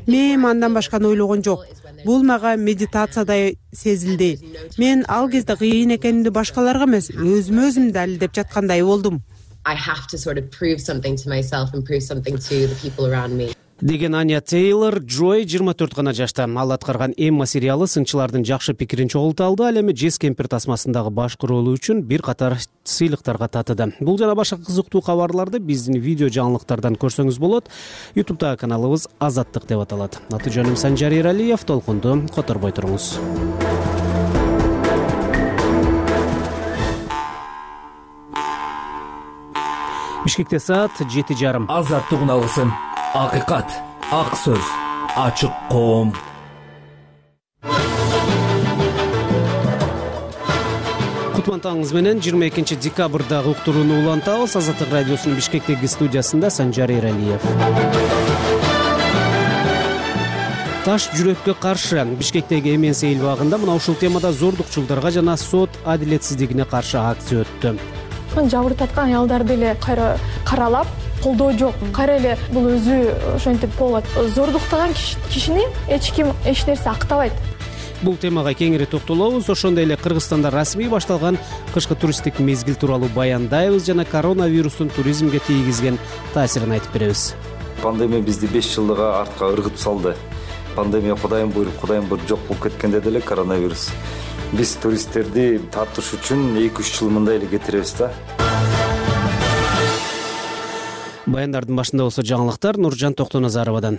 Мен андан башканы ойлогон жок. Бул мага медитациядай сезилди. Мен ал кезде кыйын экенимди башкаларга эмес, өзүмө өзүм далилдеп жаткандай болдум. Деген Аня Тейлор Джой 24 гана жашта. Ал аткарган Эмма сериалы сынчылардын жакшы пикирин чогулта алды. Ал эми Джесс Кемпер тасмасындагы башкы ролу үчүн бир катар сыйлыктарга татыды. Бул жана башка кызыктуу кабарларды биздин видео жаңылыктардан көрсөңүз болот. YouTube'дагы каналыбыз Азаттык деп аталат. Аты жөнүм Санжар Эралиев. Толкунду которбой туруңуз. Бишкекте саат 7:30. Азаттык уналгысын. Акыйкат, ак сөз, ачык коом. Кутман менен 22 декабрдагы уктурууну улантабыз. Азаттык радиосунун Бишкектеги студиясында Санжар Эралиев. Таш жүрөккө каршы. Бишкектеги Эмен Сейил багында мына ушул темада зордукчулдарга жана сот адилетсиздигине каршы акция өттү. Жабыр таткан аялдарды эле кайра каралап, колдоо жок. Кайра эле бул өзү ошентип болот. Зордуктаган кишини эч ким эч нерсе актабайт. Бул темага кеңири токтолобуз. Ошондой эле Кыргызстанда расмий башталган кышкы туристтик мезгил тууралуу баяндайбыз жана коронавирустун туризмге тийгизген таасирин айтып беребиз. Пандемия бизди 5 жылга артка ыргытып салды. Пандемия Кудайым буйруп жок болуп кеткенде деле коронавирус. Биз туристтерди тартыш үчүн 2-3 жыл мындай эле кетиребиз да. Баяндардын башында болсо жаңылыктар Нуржан Токтоназаровадан.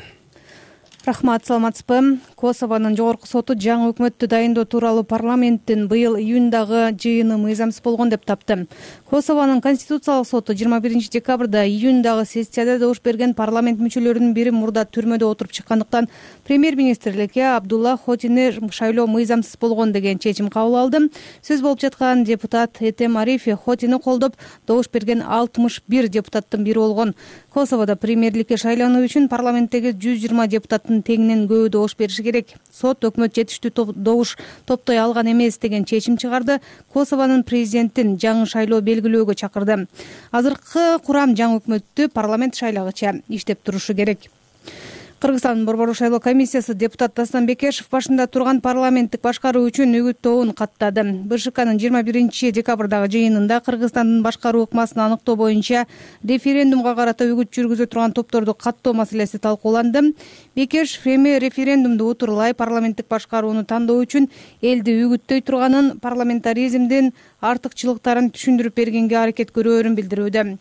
Рахмат, саламатсызбы. Косованын жогорку соту жаңы өкмөттү дайындоо тууралуу парламенттин быйыл июндагы жыйыны мыйзамсыз болгон деп тапты. Косованын конституциялык соту 21 декабрда июндагы сессияда добуш берген парламент мүчөлөрүнүн бири мурда түрмөдө отуруп чыккандыктан премьер-министрликке Абдулла Хотини шайлоо мыйзамсыз болгон деген чечим кабыл алды. Сөз болуп жаткан депутат Этем Арифи Хотини колдоп добуш берген 61 депутаттын бири болгон. Косоводо премьерликке шайлануу үчүн парламенттеги 120 депутаттын теңинен көбү добуш бериши керек. Сот өкмөт жетиштүү добуш топтой алган эмес деген чечим чыгарды. Косованын президентин жаңы шайлоо белгилөөгө чакырды. Азыркы курам жаңы өкмөттү парламент шайлагыча иштеп турушу керек. Кыргызстандын борбордук шайлоо комиссиясы депутат Дастан Бекешев башында турган парламенттик башкаруу үчүн үгүттөөгүн каттады. БШКнын 21 декабрдагы жыйынында Кыргызстандын башкаруу ыкмасын аныктоо боюнча референдумга карата үгүт жүргүзө турган топторду каттоо маселеси талкууланды. Бекешев эми референдумду утурлай парламенттик башкарууну тандоо үчүн элди үгүттөй турганын, парламентаризмдин артыкчылыктарын түшүндүрүп бергенге аракет көрөөрүн билдирүүдө.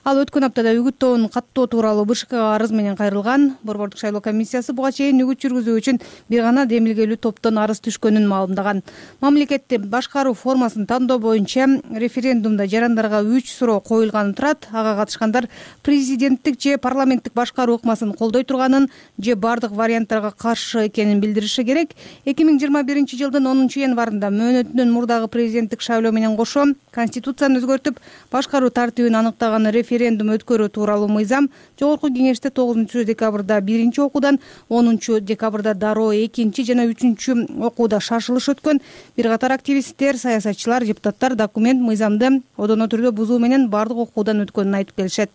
Ал өткөн аптада үгүттөөнү каттоо тууралуу БШКга арыз менен кайрылган. Борбордук шайлоо комиссиясы буга чейин үгүт жүргүзүү үчүн бир гана демилгелүү топтон арыз түшкөнүн маалымдаган. Мамлекеттин башкаруу формасын тандоо боюнча референдумда жарандарга 3 суроо коюлганы турат. Ага катышкандар президенттик же парламенттик башкаруу ыкмасын колдой турганын же бардык варианттарга каршы экенин билдириши керек. 2021 жылдын 10 январында мөөнөтүнөн мурдагы президенттик шайлоо менен кошо конституцияны өзгөртүп башкаруу тартибин аныктаган референдум өткөрүү тууралуу мыйзам жогорку кеңеште 9 декабрда 1 окуудан, 10 декабрда дароо 2 жана 3 окууда шашылыш өткөн. Бир катар активисттер, саясатчылар, депутаттар документ мыйзамды одоно түрдө бузуу менен бардык окуудан өткөнүн айтып келишет.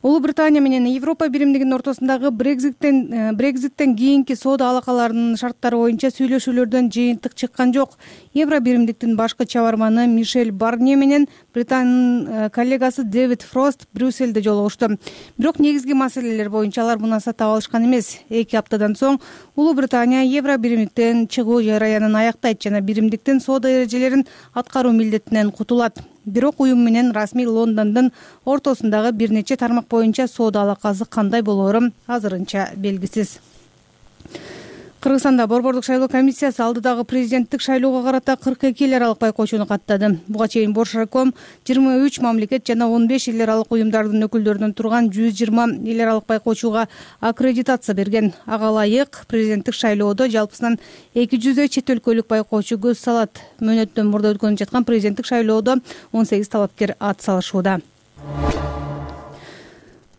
Улуу Британия менен Европа биримдигинин ортосундагы Брекзиттен кийинки соода алакаларынын шарттары боюнча сүйлөшүүлөрдөн жыйынтык чыккан жок. Евро биримдиктин башкы чабарманы Мишель Барнье менен Британянын коллегасы Дэвид Фрост Брюссельде жолугушту. Бирок негизги маселелер боюнча алар мунаса таба алышкан эмес. 2 аптадан соң Улуу Британия Евро биримдиктен чыгуу жараянын аяктайт жана биримдиктин соода эрежелерин аткаруу милдетинен кутулат. Бирок уюм менен расмий Лондондун ортосундагы бир нече тармак боюнча соода алакасы кандай болоору азырынча белгисиз. Кыргызстанда борбордук шайлоо комиссиясы алдыдагы президенттик шайлоого карата 42 эл аралык байкоочуну каттады. Буга чейин Боршаком 23 мамлекет жана 15 эл аралык уюмдардын өкүлдөрүнөн турган 120 эл аралык байкоочуга аккредитация берген. Ага ылайык президенттик шайлоодо жалпысынан 200 чет өлкөлүк байкоочу көз салат. Мөөнөттөн мурда өткөнүп жаткан президенттик шайлоодо 18 талапкер ат салышууда.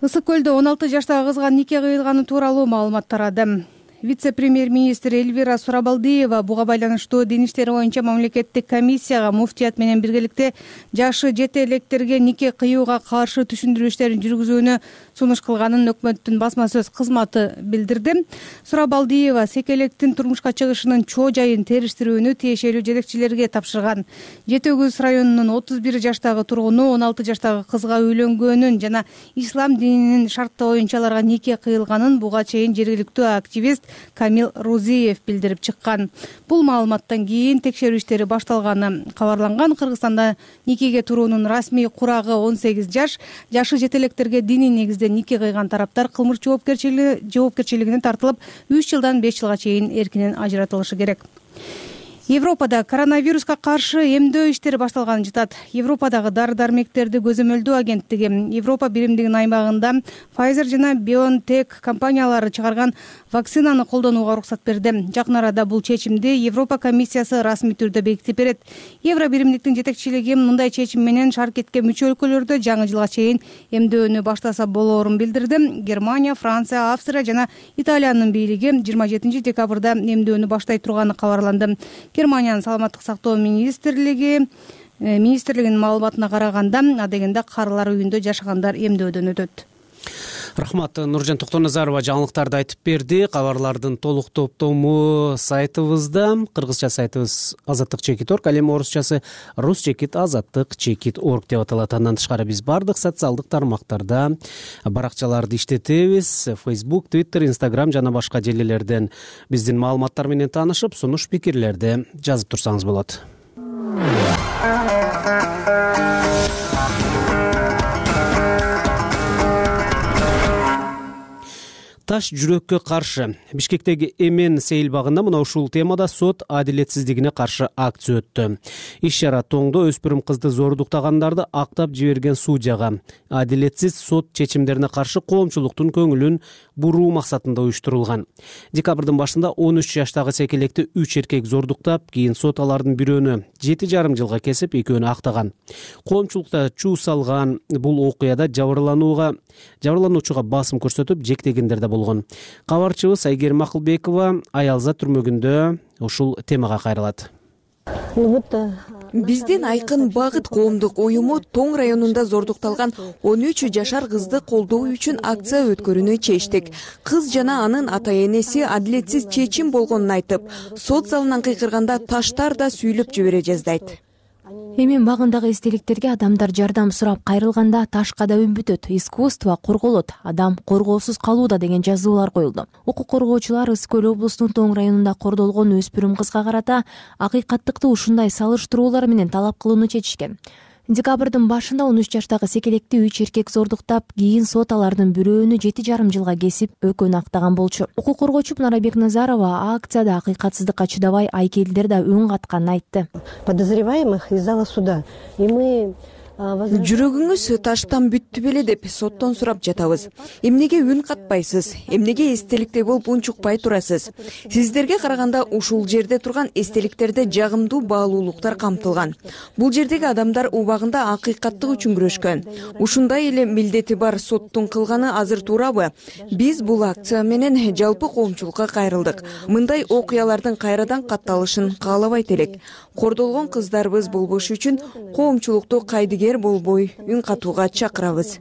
Ысык көлдө 16 жаштагы кызга нике кыйылганы тууралуу маалымат тарады. Вице-премьер-министр Эльвира Сурабалдиева буга байланыштуу дин иштери боюнча мамлекеттик комиссияга муфтият менен биргеликте жашы жете электерге нике кыюуга каршы түшүндүрүү иштерин жүргүзүүнү сунуш кылганын өкмөттүн басма сөз кызматы билдирди. Сурабалдиева секелектин турмушка чыгышынын чоо жайын териштирүүнү тиешелүү жетекчилерге тапшырган. Жети Өгүз районунун 31 жаштагы тургуну 16 жаштагы кызга үйлөнгөнүн жана ислам дининин шарты боюнча аларга нике кыйылганын буга чейин жергиликтүү активист Камил Рузиев билдирип чыккан. Бул маалыматтан кийин текшерүү иштери башталганы кабарланган. Кыргызстанда никеге туруунун расмий курагы 18 жаш. Жашы жетелектерге диний негизде нике кыйган тараптар кылмыш жоопкерчилигине тартылып, 3 жылдан 5 жылга чейин эркинен ажыратылышы керек. Европада коронавируска каршы эмдөө иштери башталганын жатат. Европадагы дары-дармектерди көзөмөлдөө агенттиги Европа биримдигинин аймагында Pfizer жана BioNTech компаниялары чыгарган вакцинаны колдонууга уруксат берди. Жакын арада бул чечимди Европа комиссиясы расмий түрдө бекитип берет. Евро биримдиктин жетекчилиги мындай чечим менен шаркетке мүчө өлкөлөрдө жаңы жылга чейин эмдөөнү баштаса болоорун билдирди. Германия, Франция, Австрия жана Италиянын бийлиги 27 декабрда эмдөөнү баштай турганы кабарланды. Германиянын саламаттык сактоо министрлигинин маалыматына караганда, адегенде карылар үйүндө жашагандар эмдөөдөн өтөт. Рахмат, Нуржан Токтоназарова жаңылыктарды айтып берди. Кабарлардын толук топтому сайтыбызда, кыргызча сайтыбыз azatlyk.org, ал эми орусчасы rus.azatlyk.org деп аталат. Андан тышкары биз бардык социалдык тармактарда баракчаларды иштетебиз. Facebook, Twitter, Instagram жана башка желилерден биздин маалыматтар менен таанышып, сунуш пикирлерди жазып турсаңыз болот. Таш жүрөккө каршы. Бишкектеги Эмен сейилбагында мына ушул темада сот адилетсиздигине каршы акция өттү. Иш-чара тоңдо өспүрүм кызды зордуктагандарды актап жиберген судьяга адилетсиз сот чечимдерине каршы коомчулуктун көңүлүн буруу максатында уюштурулган. Декабрдын башында 13 жаштагы секелекти 3 эркек зордуктап, кийин сот алардын бирөөнү 7,5 жылга кесип, экөөнү актаган. Коомчулукта чуу салган бул окуяда жабырлануучуга басым көрсөтүп, жектегендер да болгон. Кабарчыбыз Айгерим Акылбекова Аялза түрмөгүндө ушул темага кайрылат. Биздин айкын багыт коомдук уюму Тоң районунда зордукталган 13 жашар кызды колдоо үчүн акция өткөрүүнү чечтик. Кыз жана анын ата-энеси адилетсиз чечим болгонун айтып, сот залынан кыйкырганда таштар да сүйлөп жибере жаздайт. Эмен багындагы эстеликтерге адамдар жардам сурап кайрылганда ташка да үмбүтөт, искусство корголот, адам коргоосуз калууда деген жазуулар коюлду. Укук коргоочулар Ысык Көл облусунун Тоң районунда кордолгон өспүрүм кызга карата акыйкаттыкты ушундай салыштыруулар менен талап кылууну чечишкен. Декабрдын башында 13 жаштагы секелекти 3 эркек зордуктап, кийин сот алардын бирөөнү 7,5 жылга кесип, экөөнү актаган болчу. Укук коргоочу Нара Бекназарова акцияда акыйкатсыздыкка чыдабай айкелдер да үн катканын айтты. Подозреваемых из зала суда. И мы Жүрөгүңүз таштан бүттү беле деп соттон сурап жатабыз. Эмнеге үн катпайсыз? Эмнеге эстеликтей болуп унчукпай турасыз? Сиздерге караганда ушул жерде турган эстеликтерде жагымдуу баалуулуктар камтылган. Бул жердеги адамдар убагында акыйкаттык үчүн күрөшкөн. Ушундай эле милдети бар соттун кылганы азыр туурабы? Биз бул акция менен жалпы коомчулукка кайрылдык. Мындай окуялардын кайрадан катталышын каалабайт элек. Кордолгон кыздарыбыз болбош үчүн коомчулукту кайдыгер болбой үн катууга чакырабыз.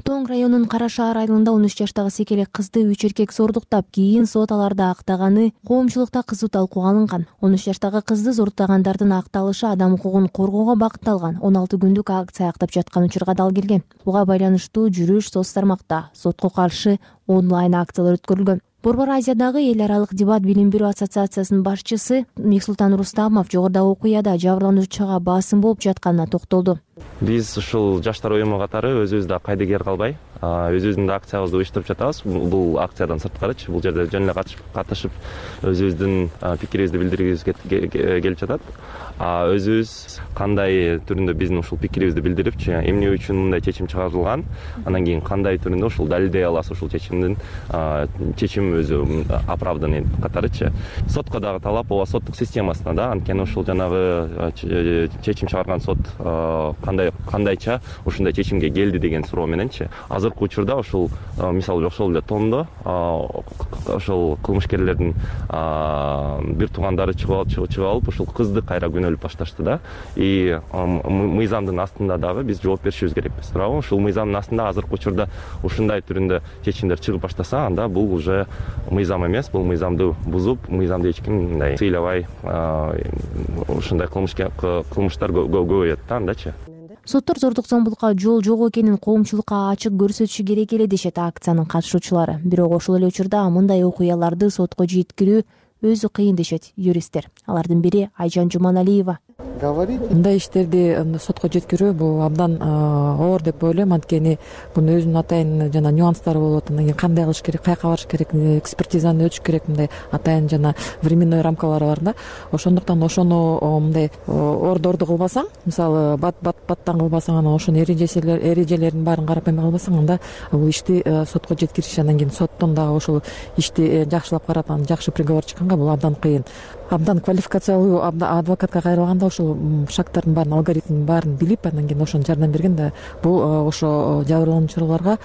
Тоң районунун Кара шаар айылында 13 жаштагы секелек кызды 3 эркек зордуктап, кийин сот аларды актаганы коомчулукта кызуу талкууга алынган. 13 жаштагы кызды зордуктагандардын акталышы адам укугун коргоого багытталган 16 күндүк акция актап жаткан учурга дал келген. Буга байланыштуу жүрүш соц тармакта сотко каршы онлайн акциялар өткөрүлгөн. Борбор Азиядагы эл аралык дебат билим берүү ассоциациясынын башчысы Мексултан Рустамов жогорудагы окуяда жабырлануучуга басым болуп жатканына токтолду. Биз ушул жаштар уюму катары өзүбүздө кайдыгер калбай, өзүбүздүн да акциябызды уюштуруп жатабыз. Бул акциядан сырткарычы, бул жерде жөн эле катышып, өзүбүздүн пикирибизди билдиргибиз келип жатат. Өзүбүз кандай түрүндө биздин ушул пикирибизди билдирипчи, эмне үчүн мындай чечим чыгарылган, андан кийин кандай түрүндө ушул далилдей аласыз ушул чечим өзүм оправданный катарычы. Сотко дагы талап, ооба соттук системасына да, анткени ушул жанагы чечим чыгарган сот кандайча ушундай чечимге келди деген суроо мененчи. Азыркы учурда ушул мисалы ошол эле тондо ошол кылмышкерлердин бир туугандары чыгып алып ушул кызды кайра күнөөлөп башташты да. И мыйзамдын астында дагы биз жооп беришибиз керекпиз, туурабы? Ушул мыйзамдын астында азыркы учурда ушундай түрүндө чечимдер чыгып баштаса, анда бул уже мыйзам эмес, бул мыйзамды бузуп, мыйзамды эч ким мындай сыйлабай ушундай кылмыштар көбөйөт да андачы. Соттор зордук зомбулукка жол жок экенин коомчулукка ачык көрсөтүшү керек эле дешет акциянын катышуучулары. Бирок ошол эле учурда мындай окуяларды сотко жеткирүү өзү кыйын дешет юристтер. Алардын бири Айжан Жуманалиева. Мындай иштерди сотко жеткирүү бул абдан оор деп ойлойм, анткени мунун өзүнүн атайын жана нюанстары болот. Анан кийин кандай кылыш керек, каяка барыш керек, экспертизаны өтүш керек, мындай атайын жана временной рамкалары бар да. Ошондуктан ошону мындай ордорду кылбасаң, мисалы баттан кылбасаң, анан ошонун эрежелерин баарын карап эме кылбасаң, анда бул ишти сотко жеткириш, анан кийин соттон дагы ошол ишти жакшылап карап, анан жакшы приговор чыкканга бул абдан кыйын. Абдан квалификациялуу адвокатка кайрылганда ошол шарттардын баарын, алгоритмдин баарын билип, анан кийин ошону жардам берген да бул ошо жабырлануучуларга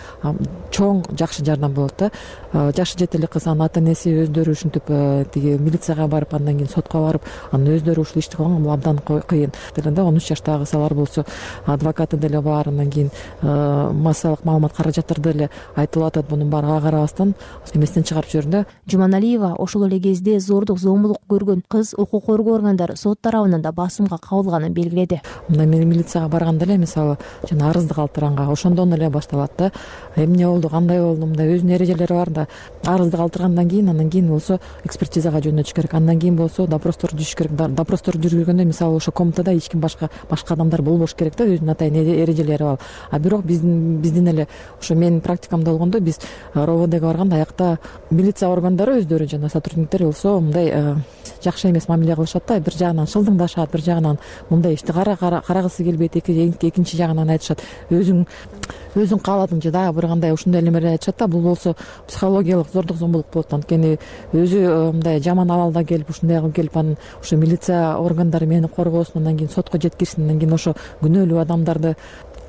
чоң жакшы жардам болот да. Жашы жете эле кыз, анын ата энеси өздөрү ушинтип тиги милицияга барып, андан кийин сотко барып, анан өздөрү ушул ишти кылган, бул абдан кыйын. Деле 13 жаштагы кызалар болсо, адвокаты деле бар, андан кийин массалык маалымат каражаттары деле айтылып атат, мунун баарыга карабастан эместен чыгарып жибердим да. Жуманалиева ошол эле кезде зордук зомбулук көргөн кыз укук коргоо органдары сот тарабынан да басымга кабылганын белгиледи. Мындай мен милицияга барганда эле, мисалы, жана арызды калтырганга ошондон эле башталат да. Эмне болду, кандай болду, мындай өзүнүн эрежелери бар да. Арызды калтыргандан кийин, андан кийин болсо экспертизага жөнөтүш керек, андан кийин болсо допростор жүрүш керек. Допростор жүргөндө, мисалы, ошо комнатада эч ким башка адамдар болбош керек да, өзүнүн атайын эрежелери бар. А бирок биздин эле ошо менин практикамда болгондо, биз РОВДга барганда аякта милиция органдары өздөрү жана сотрудниктер болсо мындай жакшы эмес мамиле кылышат да. Бир жагынан шылдыңдашат, бир жагынан мындай ишти карагысы келбейт, экинчи жагынан айтышат өзүң кааладыңчы дагы бир кандай ушундай элемелер айтышат да. Бул болсо психологиялык зордук зомбулук болот, анткени өзү мындай жаман абалда келип, ушундай кылып келип, анан ошо милиция органдары мени коргоосун, андан кийин сотко жеткирсин, андан кийин ошо күнөөлүү адамдарды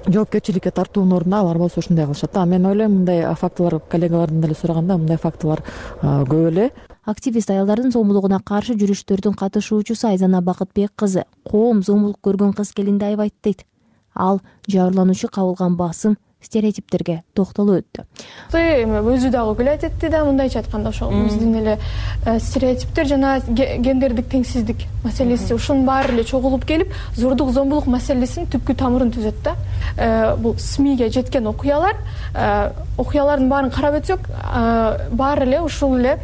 жоопкерчиликке тартуунун ордуна алар болсо ушундай кылышат да. Мен ойлойм, мындай фактылар коллегалардан деле сураганда, мындай фактылар көп эле. Активист аялдардын зомбулугуна каршы жүрүштөрдүн катышуучусу Айзана Бакытбек кызы коом зомбулук көргөн кыз келинди айбайт дейт. Ал жабырлануучу кабылган басым, стереотиптерге токтолуп өттү. Өзү дагы күлөт этти да, мындайча айтканда ошол биздин эле стереотиптер жана гендердик теңсиздик маселеси ушунун баары эле чогулуп келип, зордук зомбулук маселесинин түпкү тамырын түзөт да. Бул СМИге жеткен окуялардын баарын карап өтсөк, баары эле ушул эле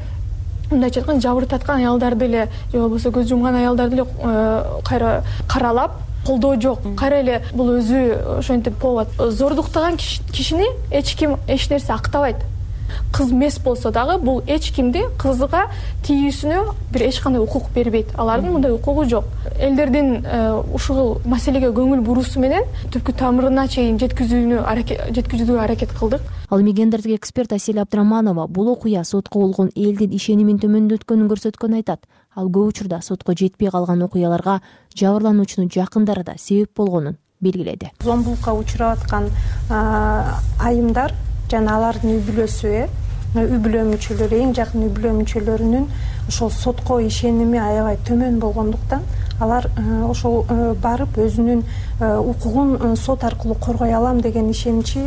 мындайча айтканда жабыр таткан аялдарды эле же болбосо көз жумган аялдарды эле кайра каралап, колдоо жок. Кайра эле бул өзү ошентип болот. Зордуктаган кишини эч ким эч нерсе актабайт. Кыз эмес болсо дагы бул эч кимди кызга тийүүсүнө бир эч кандай укук бербейт. Алардын мындай укугу жок. Элдердин ушул маселеге көңүл буруусу менен түпкү тамырына чейин жеткизүүгө аракет кылдык. Ал эми гендердик эксперт Асель Абдраманова бул окуя сотко болгон элдин ишенимин төмөндөткөнүн көрсөткөнүн айтат. Ал көп учурда сотко жетпей калган окуяларга жабырлануучунун жакындары да себеп болгонун белгиледи. Зомбулукка учурап аткан айымдар жана алардын үй бүлөсү, үй бүлө мүчөлөрү, эң жакын үй бүлө мүчөлөрүнүн ошол сотко ишеними аябай төмөн болгондуктан алар ошол барып өзүнүн укугун сот аркылуу коргой алам деген ишеничи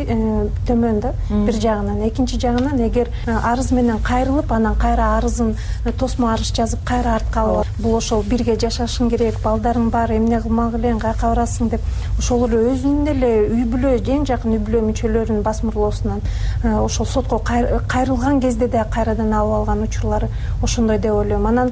төмөн да бир жагынан. Экинчи жагынан, эгер арыз менен кайрылып, анан кайра арызын тосмо арыз жазып кайра артка алып, бул ошол бирге жашашың керек, балдарың бар, эмне кылмак элең, каяка барасың деп ошол эле өзүнүн эле үй бүлө, эң жакын үй бүлө мүчөлөрүнүн басмырлоосунан ошол сотко кайрылган кезде да кайрадан алып алган учурлары ошондой деп ойлойм. Анан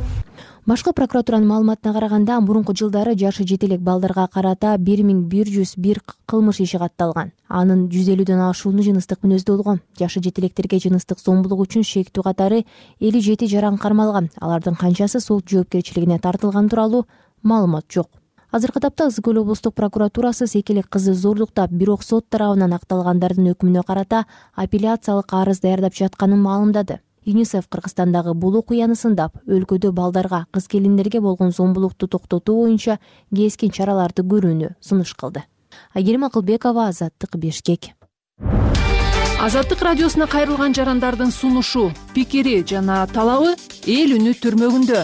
башкы прокуратуранын маалыматына караганда, мурунку жылдары жашы жете элек балдарга карата 1101 кылмыш иши катталган. Анын 150дөн ашууну жыныстык мүнөздүү болгон. Жашы жете электерге жыныстык зомбулук үчүн шектүү катары 57 жаран кармалган. Алардын канчасы сот жоопкерчилигине тартылган тууралуу маалымат жок. Азыркы тапта Ысык Көл облустук прокуратурасы секелек кызды зордуктап, бирок сот тарабынан акталгандардын өкүмүнө карата апелляциялык арыз даярдап жатканын маалымдады. ЮНИСЕФ Кыргызстандагы бул окуяны сындап, өлкөдө балдарга, кыз келиндерге болгон зомбулукту токтотуу боюнча кескин чараларды көрүүнү сунуш кылды. Айгерим Акылбекова, Азаттык, Бишкек. Азаттык радиосуна кайрылган жарандардын сунушу, пикири жана талабы эл үнү түрмөгүндө.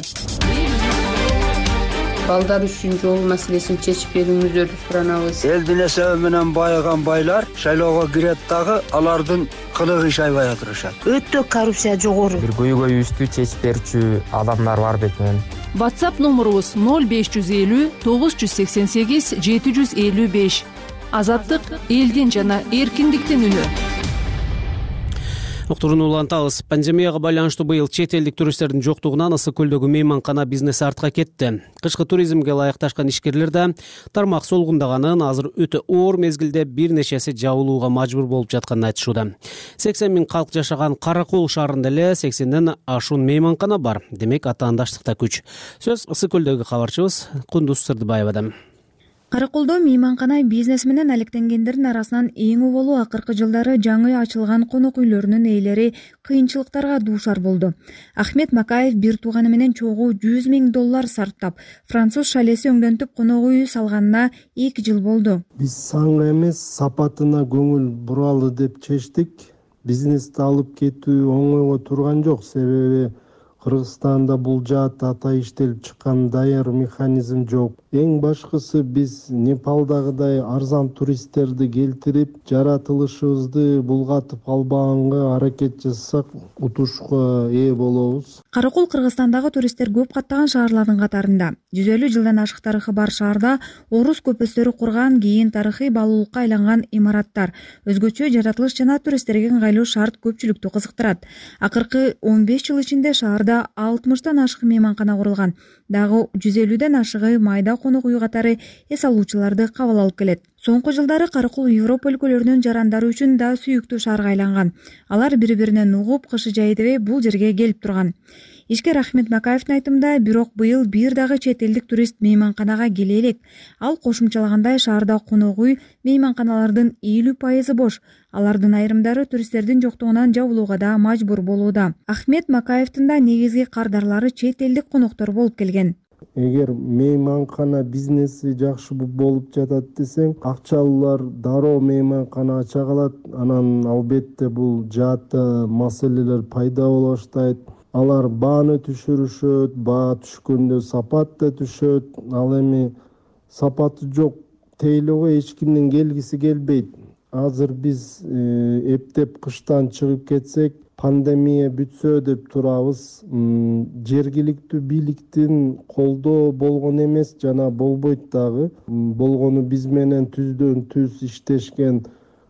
Балдар үчүн жол маселесин чечип берүүңүздөрдү суранабыз. Элдин эсеби менен байыган байлар шайлоого кирет дагы алардын кылыгы шайбай отурушат. Өтө коррупция жогору. Бир көйгөйүбүздү чечип берүүчү адамдар бар бетинен. WhatsApp номурубуз 0550 988 755. Азаттык элдин жана эркиндиктин үнү. Уктурууну улантабыз. Пандемияга байланыштуу быйыл чет элдик туристтердин жоктугунан Ысык көлдөгү мейманкана бизнеси артка кетти. Кышкы туризмге ылайыкташкан ишкерлер да тармак солгундаганын, азыр өтө оор мезгилде бир нечеси жабылууга мажбур болуп жатканын айтышууда. 80 000 калк жашаган Каракол шаарында эле 80ден ашуун мейманкана бар. Демек атаандаштыкта күч. Сөз Ысык көлдөгү кабарчыбыз Кундуз Сырдыбаевадан. Караколдо мейманкана бизнес менен алектенгендердин арасынан эң убалуу акыркы жылдары жаңы ачылган конок үйлөрүнүн ээлери кыйынчылыктарга дуушар болду. Ахмет Макаев бир тууганы менен чогуу $100 000 сарптап, француз шалеси өңдөнтүп конок үй салганына 2 жыл болду. Биз санга эмес, сапатына көңүл буралы деп чечтик. Бизнести алып кетүү оңойго турган жок, себеби Кыргызстанда бул жаатта ата иштелип чыккан даяр механизм жок. Эң башкысы биз Непалдагыдай арзан туристтерди келтирип, жаратылышыбызды булгатып албаганга аракет жасасак, утушка ээ болобуз. Каракол Кыргызстандагы туристтер көп каттаган шаарлардын катарында. 150 жылдан ашык тарыхы бар шаарда орус көпөстөрү курган, кийин тарыхый баалуулукка айланган имараттар, өзгөчө жаратылыш жана туристтерге ыңгайлуу шарт көпчүлүктү кызыктырат. Акыркы 15 жыл ичинде шаарда 60тан ашык мейманкана курулган. Дагы 150ден ашыгы майда конок үй катары эс алуучуларды кабыл алып келет. Соңку жылдары Каракол Европа өлкөлөрүнүн жарандары үчүн да сүйүктүү шаарга айланган. Алар бири-биринен угуп, кышы жайы дебей бул жерге келип турган. Ишкер Ахмет Макаевдин айтымында, бирок быйыл бир дагы чет элдик турист мейманканага келе элек. Ал кошумчалагандай, шаарда конок үй мейманканалардын 50% бош. Алардын айрымдары туристтердин жоктугунан жабылууга да мажбур болууда. Ахмет Макаевдин да негизги кардарлары чет элдик коноктор болуп келген. Эгер мейманкана бизнеси жакшы болуп жатат десең, акчалуулар дароо мейманкана ача калат. Анан албетте бул жаатта маселелер пайда боло баштайт. Алар бааны түшүрүшөт, баа түшкөндө сапат да түшөт. Ал эми сапаты жок тейлөөгө эч кимдин келгиси келбейт. Азыр биз эптеп кыштан чыгып кетсек, пандемия бүтсө деп турабыз. Жергиликтүү бийликтин колдоо болгон эмес, жана болбойт дагы. Болгону биз менен түздөн түз иштешкен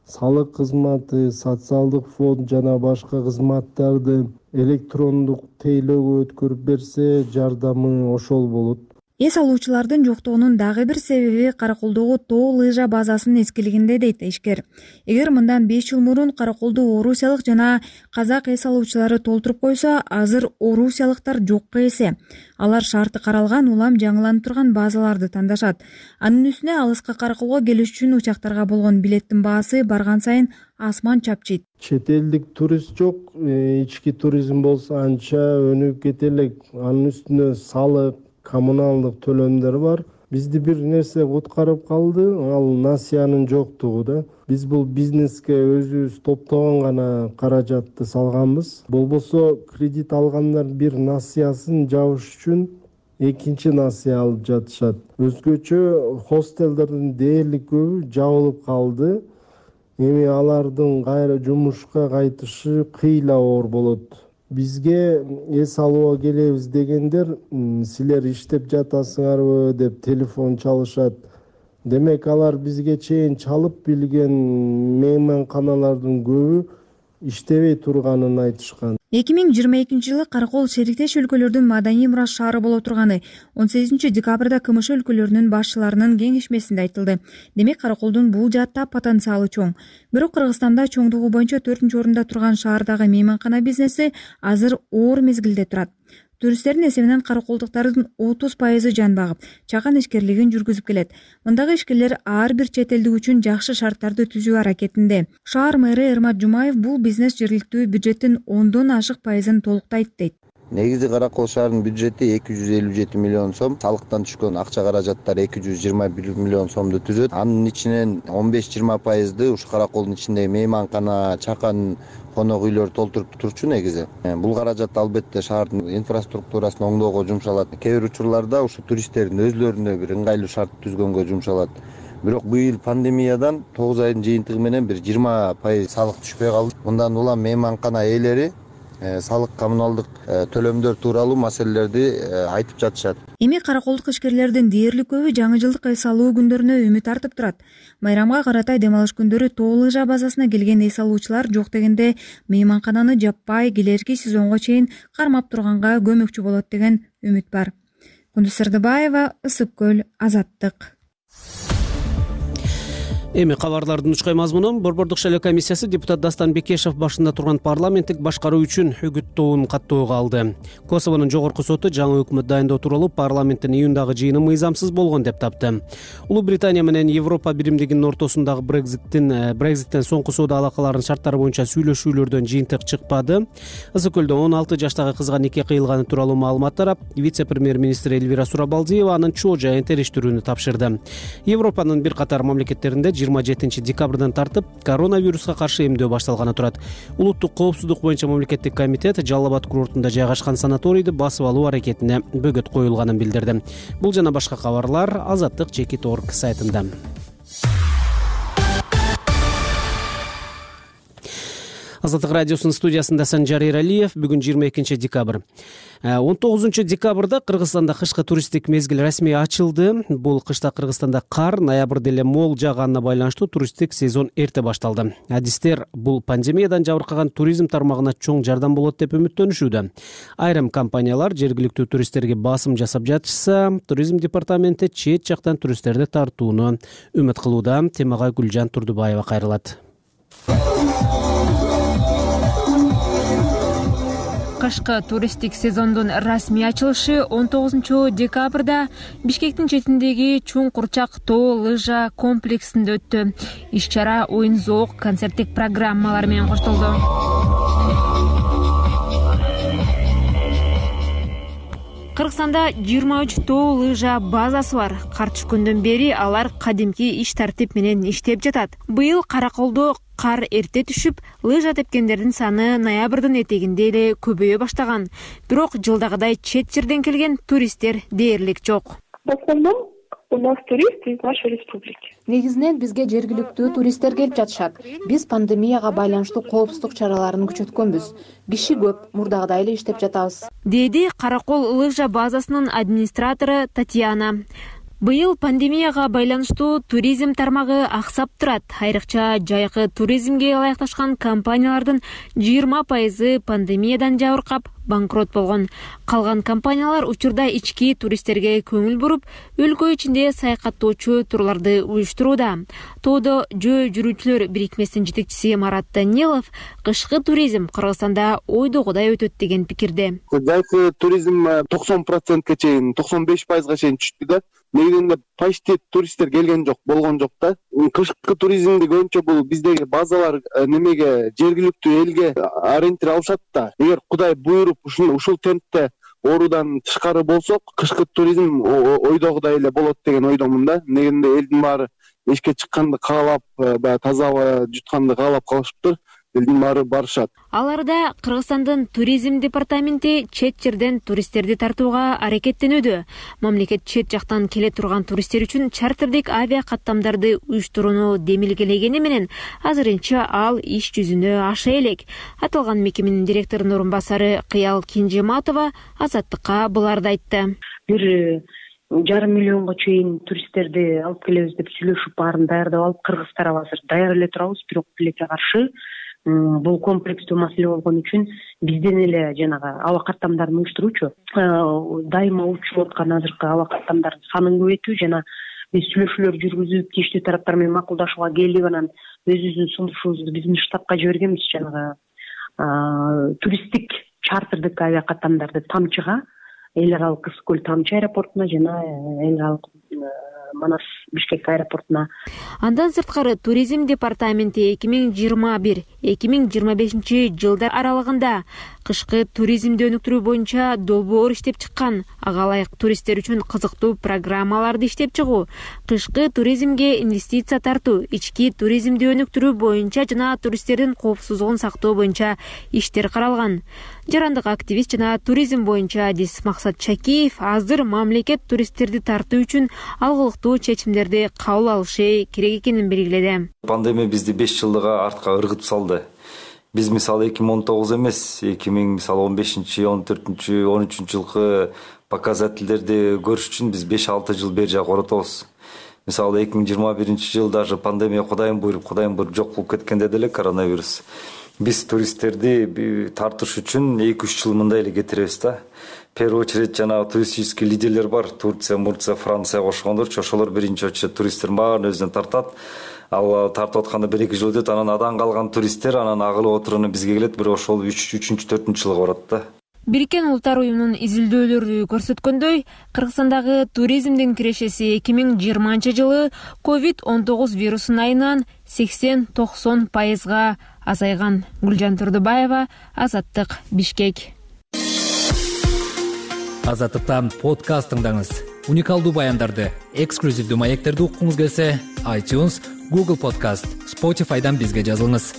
салык кызматы, социалдык фонд жана башка кызматтарды электрондук тейлөөгө өткөрүп берсе, жардамы ошол болот. Эс алуучулардын жоктугунун дагы бир себеби Караколдогу тоо лыжа базасынын эскилигинде дейт ишкер. Эгер мындан 5 жыл мурун Караколду орусиялык жана казак эс алуучулары толтуруп койсо, азыр орусиялыктар жокко эсе. Алар шарты каралган, улам жаңыланып турган базаларды тандашат. Анын үстүнө алыска Караколго келиш үчүн учактарга болгон билеттин баасы барган сайын асман чапчыйт. Чет элдик турист жок, ички туризм болсо анча өнүгүп кете элек. Анын үстүнө салык, коммуналдык төлөмдөр бар. Бизди бир нерсе куткарып калды, ал насиянын жоктугу да. Биз бул бизнеске өзүбүз топтогон гана каражатты салганбыз. Болбосо кредит алгандар бир насиясын жабыш үчүн экинчи насия алып жатышат. Өзгөчө хостелдердин дээрлик көбү жабылып калды. Эми алардын кайра жумушка кайтышы кыйла оор болот. Бизге эс алууга келебиз дегендер, силер иштеп жатасыңарбы деп телефон чалышат. Демек алар бизге чейин чалып билген мейманканалардын көбү иштебей турганын айтышкан. 2022 жылы Каракол шериктеш өлкөлөрдүн маданий мурас шаары боло турганы 18 декабрда КМШ өлкөлөрүнүн башчыларынын кеңешмесинде айтылды. Демек Караколдун бул жаатта потенциалы чоң. Бирок Кыргызстанда чоңдугу боюнча 4-орунда турган шаардагы мейманкана бизнеси азыр оор мезгилде турат. туристтердин эсебинен караколдуктардын 30% жан багып, чакан ишкерлигин жүргүзүп келет. Мындагы ишкерлер ар бир чет элдик үчүн жакшы шарттарды түзүү аракетинде. Шаар мэрі Эрмат Жумаев бул бизнес жергиликтүү бюджеттин 10дон ашык пайызын толуктайт дейт. Негизи Каракол шаарынын бюджети 257 миллион сом, салыктан түшкөн акча каражаттар 221 миллион сомду түзөт. Анын ичинен 15-20%ды ушу Караколдун ичиндеги мейманкана, чакан, конок үйлөр толтуруп турчу негизи. Бул каражат албетте шаардын инфраструктурасын оңдоого жумшалат. Кээ бир учурларда ушу туристтердин өзлөрүнө бир ыңгайлуу шарт түзгөнгө жумшалат. Бирок быйыл пандемиядан 9 айдын жыйынтыгы менен бир 20% салык түшпөй калды. Мындан улам мейманкана ээлери салык, коммуналдык төлөмдөр тууралуу маселелерди айтып жатышат. Эми караколдук ишкерлердин дээрлик көбү жаңы жылдык эс алуу күндөрүнө үмүт артып турат. Майрамга карата дем алыш күндөрү Тоо лыжа базасына келген эс алуучулар жок дегенде мейманкананы жаппай келерки сезонго чейин кармап турганга көмөкчү болот деген үмүт бар. Кундуз Сырдыбаева, Ысык көл, Азаттык. Эми кабарлардын учкай мазмунун Борбордук шайлоо комиссиясы депутат Дастан Бекешев башында турган парламенттик башкаруу үчүн үгүттөөнү каттоого алды. Косовонун жогорку соту жаңы өкмөт дайындоо тууралуу парламенттин июндагы жыйыны мыйзамсыз болгон деп тапты. Улуу Британия менен Европа биримдигинин ортосундагы Брекзиттен соңку соода алакаларынын шарттары боюнча сүйлөшүүлөрдөн жыйынтык чыкпады. Ысык көлдө 16 жаштагы кызга нике кыйылганы тууралуу маалымат тарап, вице-премьер-министр Элвира Сурабалдиева анын чоо жайын териштирүүнү тапшырды. Европанын бир катар мамлекеттеринде 27 декабрдан тартып коронавируска каршы эмдөө башталганы турат. Улуттук коопсуздук боюнча мамлекеттик комитет Жалал Абад курортунда жайгашкан санаторийди басып алуу аракетине бөгөт коюлганын билдирди. Бул жана башка кабарлар Азаттык.org сайтында. Азаттык радиосунун студиясында Санжар Эралиев. Бүгүн 22 декабрь. 19 декабрда Кыргызстанда кышкы туристтик мезгил расмий ачылды. Бул кышта Кыргызстанда кар, ноябрда эле мол жааганына байланыштуу туристтик сезон эрте башталды. Адистер бул пандемиядан жабыркаган туризм тармагына чоң жардам болот деп үмүттөнүшүүдө. Айрым компаниялар жергиликтүү туристтерге басым жасап жатышса, туризм департаменти чет жактан туристтерди тартууну үмүт кылууда. Темага Гүлжан Турдубаева кайрылат. Кышкы туристтик сезондун расмий ачылышы 19 декабрда Бишкектин четиндеги Чуң Курчак тоо лыжа комплексинде өттү. Иш-чара оюн-зоок, концерттик программалар менен коштолду. Кыргызстанда 23 тоо лыжа базасы бар. Кар түшкөндөн бери алар кадимки иш тартип менен иштеп жатат. Быйыл Караколдо кар эрте түшүп, лыжа тепкендердин саны ноябрдын этегинде эле көбөйө баштаган. Бирок жылдагыдай чет жерден келген туристтер дээрлик жок. В основном у нас туристы из нашей республики. Негизинен бизге жергиликтүү туристтер келип жатышат. Биз пандемияга байланыштуу коопсуздук чараларын күчөткөнбүз. Киши көп, мурдагыдай эле иштеп жатабыз. Деди Каракол лыжа базасынын администратору Татьяна. Быйыл пандемияга байланыштуу туризм тармагы аксап турат. Айрыкча жайкы туризмге ылайыкташкан компаниялардын 20% пандемиядан жабыркап банкрот болгон. Калган компаниялар учурда ички туристтерге көңүл буруп, өлкө ичинде саякаттоочу турларды уюштурууда. Тоодо жөө жүрүүчүлөр бирикмесинин жетекчиси Марат Данилов кышкы туризм Кыргызстанда ойдогудай өтөт деген пикирде. Жайкы туризм 90%га чейин, 95%га чейин түштү да. Негизинде почти туристтер келген жок, болгон жок да. Кышкы туризмди көбүнчө бул биздеги базалар немеге жергиликтүү элге ориентир алышат да. Эгер Кудай буйруп ушул темпте оруудан тышкары болсок, кышкы туризм ойдогудай эле болот деген ойдомун да. Негизинде элдин баары эшикке чыкканды каалап, баягы таза аба жутканды каалап калышыптыр. Элдин баары барышат. Аларда Кыргызстандын туризм департаменти чет жерден туристтерди тартууга аракеттенүүдө. Мамлекет чет жактан келе турган туристтер үчүн чартердик авиа каттамдарды уюштурууну демилгелегени менен азырынча ал иш жүзүнө аша элек. Аталган мекеменин директорунун орун басары Кыял Кинжематова Азаттыкка буларды айтты. 1,5 миллионго чейин туристтерди алып келебиз деп сүйлөшүп баарын даярдап алып, Кыргыз тарабы азыр даяр эле турабыз, бирок тилекке каршы бул комплекстүү маселе болгон үчүн бизден эле жанагы аба каттамдарын уюштуруучу дайыма учуп аткан азыркы аба каттамдардын санын көбөйтүү жана биз сүйлөшүүлөр жүргүзүп тийиштүү тараптар менен макулдашууга келип, анан өзүбүздүн сунушубузду биздин штабка жибергенбиз. Жанагы туристтик чартердик авиакаттамдарды Тамчыга, эл аралык Ысык көл Тамчы аэропортуна жана эл аралык Манас Бишкек аэропортуна. Андан сырткары туризм департаменти 2021-2025 жылдар аралыгында кышкы туризмди өнүктүрүү боюнча долбоор иштеп чыккан. Ага ылайык туристтер үчүн кызыктуу программаларды иштеп чыгуу, кышкы туризмге инвестиция тартуу, ички туризмди өнүктүрүү боюнча жана туристтердин коопсуздугун сактоо боюнча иштер каралган. Жарандык активист жана туризм боюнча адис Максат Чакиев азыр мамлекет туристтерди тартуу үчүн алгылыктуу чечимдерди кабыл алышы керек экенин белгиледи. Пандемия бизди 5 жылга артка ыргытып салды. Биз мисалы 2019 эмес, 2015, 14, 13 жылкы показательдерди көрүш үчүн биз 5-6 жыл бери жак оротобуз. Мисалы 2021 жыл даже пандемия кудайым буйруп жок болуп кеткенде деле коронавирус. Биз туристтерди тартыш үчүн 2-3 жыл мындай эле кетиребиз да. В первую очередь жана туристический лидерлер бар. Турция, Мурция, Франция кошкондорчу. Ошолор биринчи очередь туристтер баарын өзүнө тартат. Ал тартып атканда 1-2 жыл өтөт, анан адан калган туристтер анан агылып отуруну бизге келет, бирок ошол 3-4 жылга барат да. Бириккен Улуттар уюмунун изилдөөлөрү көрсөткөндөй, Кыргызстандагы туризмдин кирешеси 2020 жылы COVID-19 вирусун айынан 80-90% азайган. Гүлжан Турдубаева, Азаттык, Бишкек. Азаттыктан подкаст тыңдаңыз. Уникалдуу баяндарды, эксклюзивдүү маектерди уккуңуз келсе, iTunes, Google Podcast, Spotify'дан бизге жазылыңыз.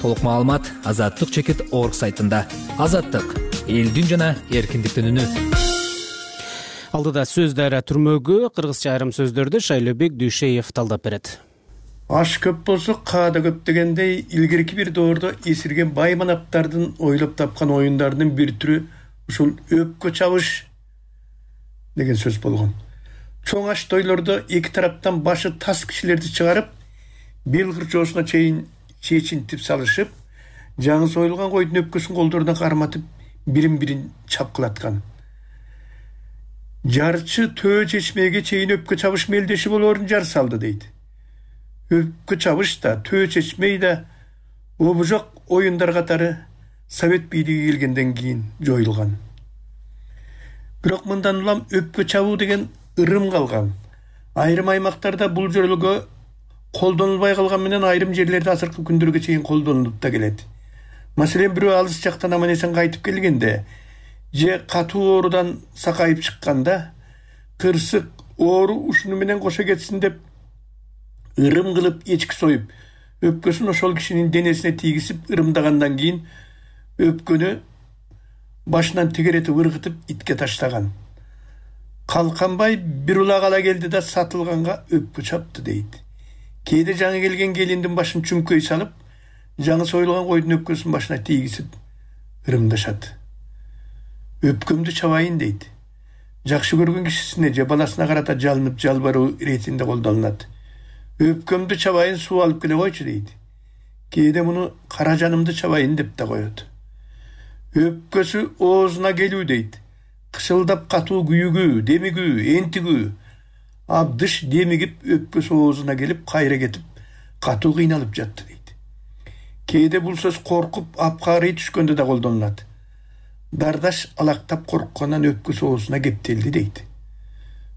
Толук маалымат azattyk.org сайтында. Азаттык — элдин жана эркиндиктин үнү. Алдыда сөздөр түрмөгү кыргызча айрым сөздөрдү Шайлообек Дүйшеев талдап берет. Аш көп болсо каада көп дегендей, илгерки бир доордо эсирген бай манаптардын ойлоп тапкан оюндарынын бир түрү ушул өпкө чабыш деген сөз болгон. Чоң аш тойлордо эки тараптан башы тас кишилерди чыгарып, бел кырчоосуна чейин чечинтип салышып, жаңы союлган койдун өпкөсүн колдоруна карматып, бирин-бирин чапкылаткан. Жарчы төө чечмеге чейин өпкө чабыш мелдеши болоорун жар салды дейт. Өпкө чабыш да, төө чечмей да обужок оюндар катары Совет бийлиги келгенден кийин жоюлган. Бирок мындан улам өпкө чабуу деген ырым калган. Айрым аймактарда бул жөрөлгө колдонулбай калган менен айрым жерлерде азыркы күндөргө чейин колдонулуп да келет. Маселен, бирөө алыс жактан аман-эсен кайтып келгенде же катуу оорудан сакайып чыкканда, кырсык оору ушуну менен кошо кетсин деп ырым кылып эчки союп, өпкөсүн ошол кишинин денесине тийгизип ырымдагандан кийин өпкөнү башынан тегеретип ыргытып итке таштаган. Калканбай бир улак ала келди да сатылганга өпкө чапты дейт. Кээде жаңы келген келиндин башын чүңкөй салып, жаңы союлган койдун өпкөсүн башына тийгизип ырымдашат. Өпкөмдү чабайын дейт. Жакшы көргөн кишисине же баласына карата жалынып жалбаруу иретинде колдонулат. Өпкөмдү чабайын, суу алып келе койчу дейт. Кээде муну кара жанымды чабайын деп да коет. Өпкөсү оозуна келүү дейт. Кышылдап катуу күйүгүү, демигүү, энтигүү. Абдыш демигип өпкөсү оозуна келип, кайра кетип, катуу кыйналып жатты дейт. Кээде бул сөз коркуп, апкарый түшкөндө да колдонулат. Дардаш алактап корккондан өпкөсү оозуна кептелди дейт.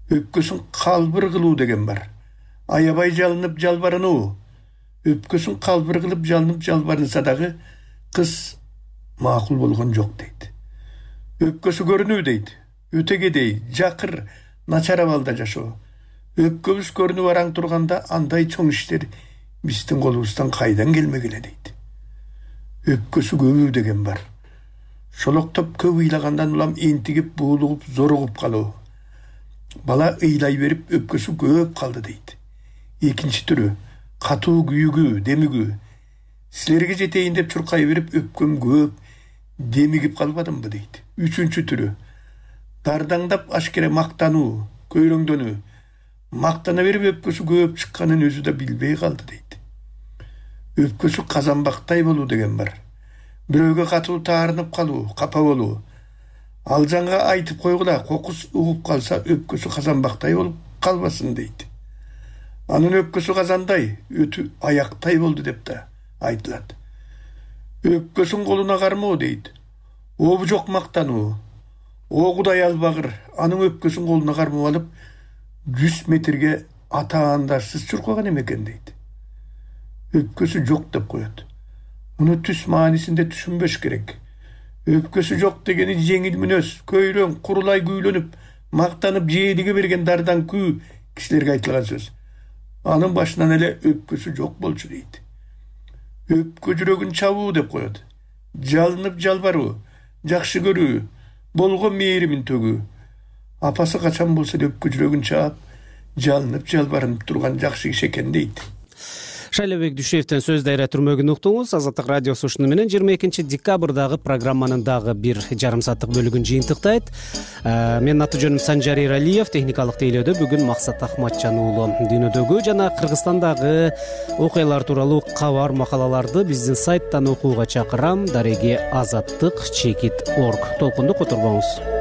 Өпкөсүн калбыр кылуу деген бар. Аябай жалынып жалбарынуу. Өпкөсүн калбыр кылып жалынып жалбарынса дагы кыз макул болгон жок дейт. Өпкөсү көрүнүү дейт. Өтөгедей, жакыр, начар абалда жашоо. Өпкөбүз көрүнүп араң турганда андай чоң иштер биздин колубуздан кайдан келмегиле дейт. Өпкөсү көбүү деген бар. Шолоктоп көп ыйлагандан улам энтигип, буулугуп, зоругуп калуу. Бала ыйлай берип өпкөсү көп калды дейт. Экинчи түрү катуу күйүгүү, демигүү. Силерге жетейин деп чуркай берип өпкөм көп, демигип калбадымбы дейт. Үчүнчү түрү дардаңдап ашкере мактануу, көйрөңдөнүү. Мактана берип өпкөсү көп чыкканын өзү да билбей калды дейт. Өпкөсү казанбактай болуу деген бар. Бирөөгө катуу таарынып калуу, капа болуу. Ал жанга айтып койгула, кокус угуп калса өпкөсү казанбактай болуп калбасын дейт. Анын өпкөсү казандай, өтү аяктай болду деп да айтылат. Өпкөсүн колуна кармоо дейт. обу жок мактануу, о Кудай албагыр анын өпкөсүн колуна кармап алып 100 метрге атаандашсыз чуркаган эмекен дейт. Өпкөсү жок деп коет. Муну түс маанисинде түшүнбөш керек. Өпкөсү жок дегени жеңил мүнөз, көйрөң, курулай күүлөнүп, мактанып жээлиге берген дардан күү кишилерге айтылган сөз. Анын башынан эле өпкөсү жок болчу дейт. Өпкө жүрөгүн чабуу деп коет. Жалынып жалбаруу, жакшы көрүү, болгон мээримин төгүү. Апасы качан болсо да өпкө жүрөгүн чаап, жалынып жалбарынып турган жакшы киши экен дейт. Шайлообек Дүйшеевден сөз дайра түрмөгүн уктуңуз. Азаттык радиосу ушуну менен 22 декабрдагы программанын дагы бир жарым сааттык бөлүгүн жыйынтыктайт. Менин аты жөнүм Санжар Эралиев, техникалык тейлөөдө бүгүн Максат Ахматжан уулу. Дүйнөдөгү жана Кыргызстандагы окуялар тууралуу кабар макалаларды биздин сайттан окууга чакырам. Дареги азаттык.org. Толкунду которбоңуз.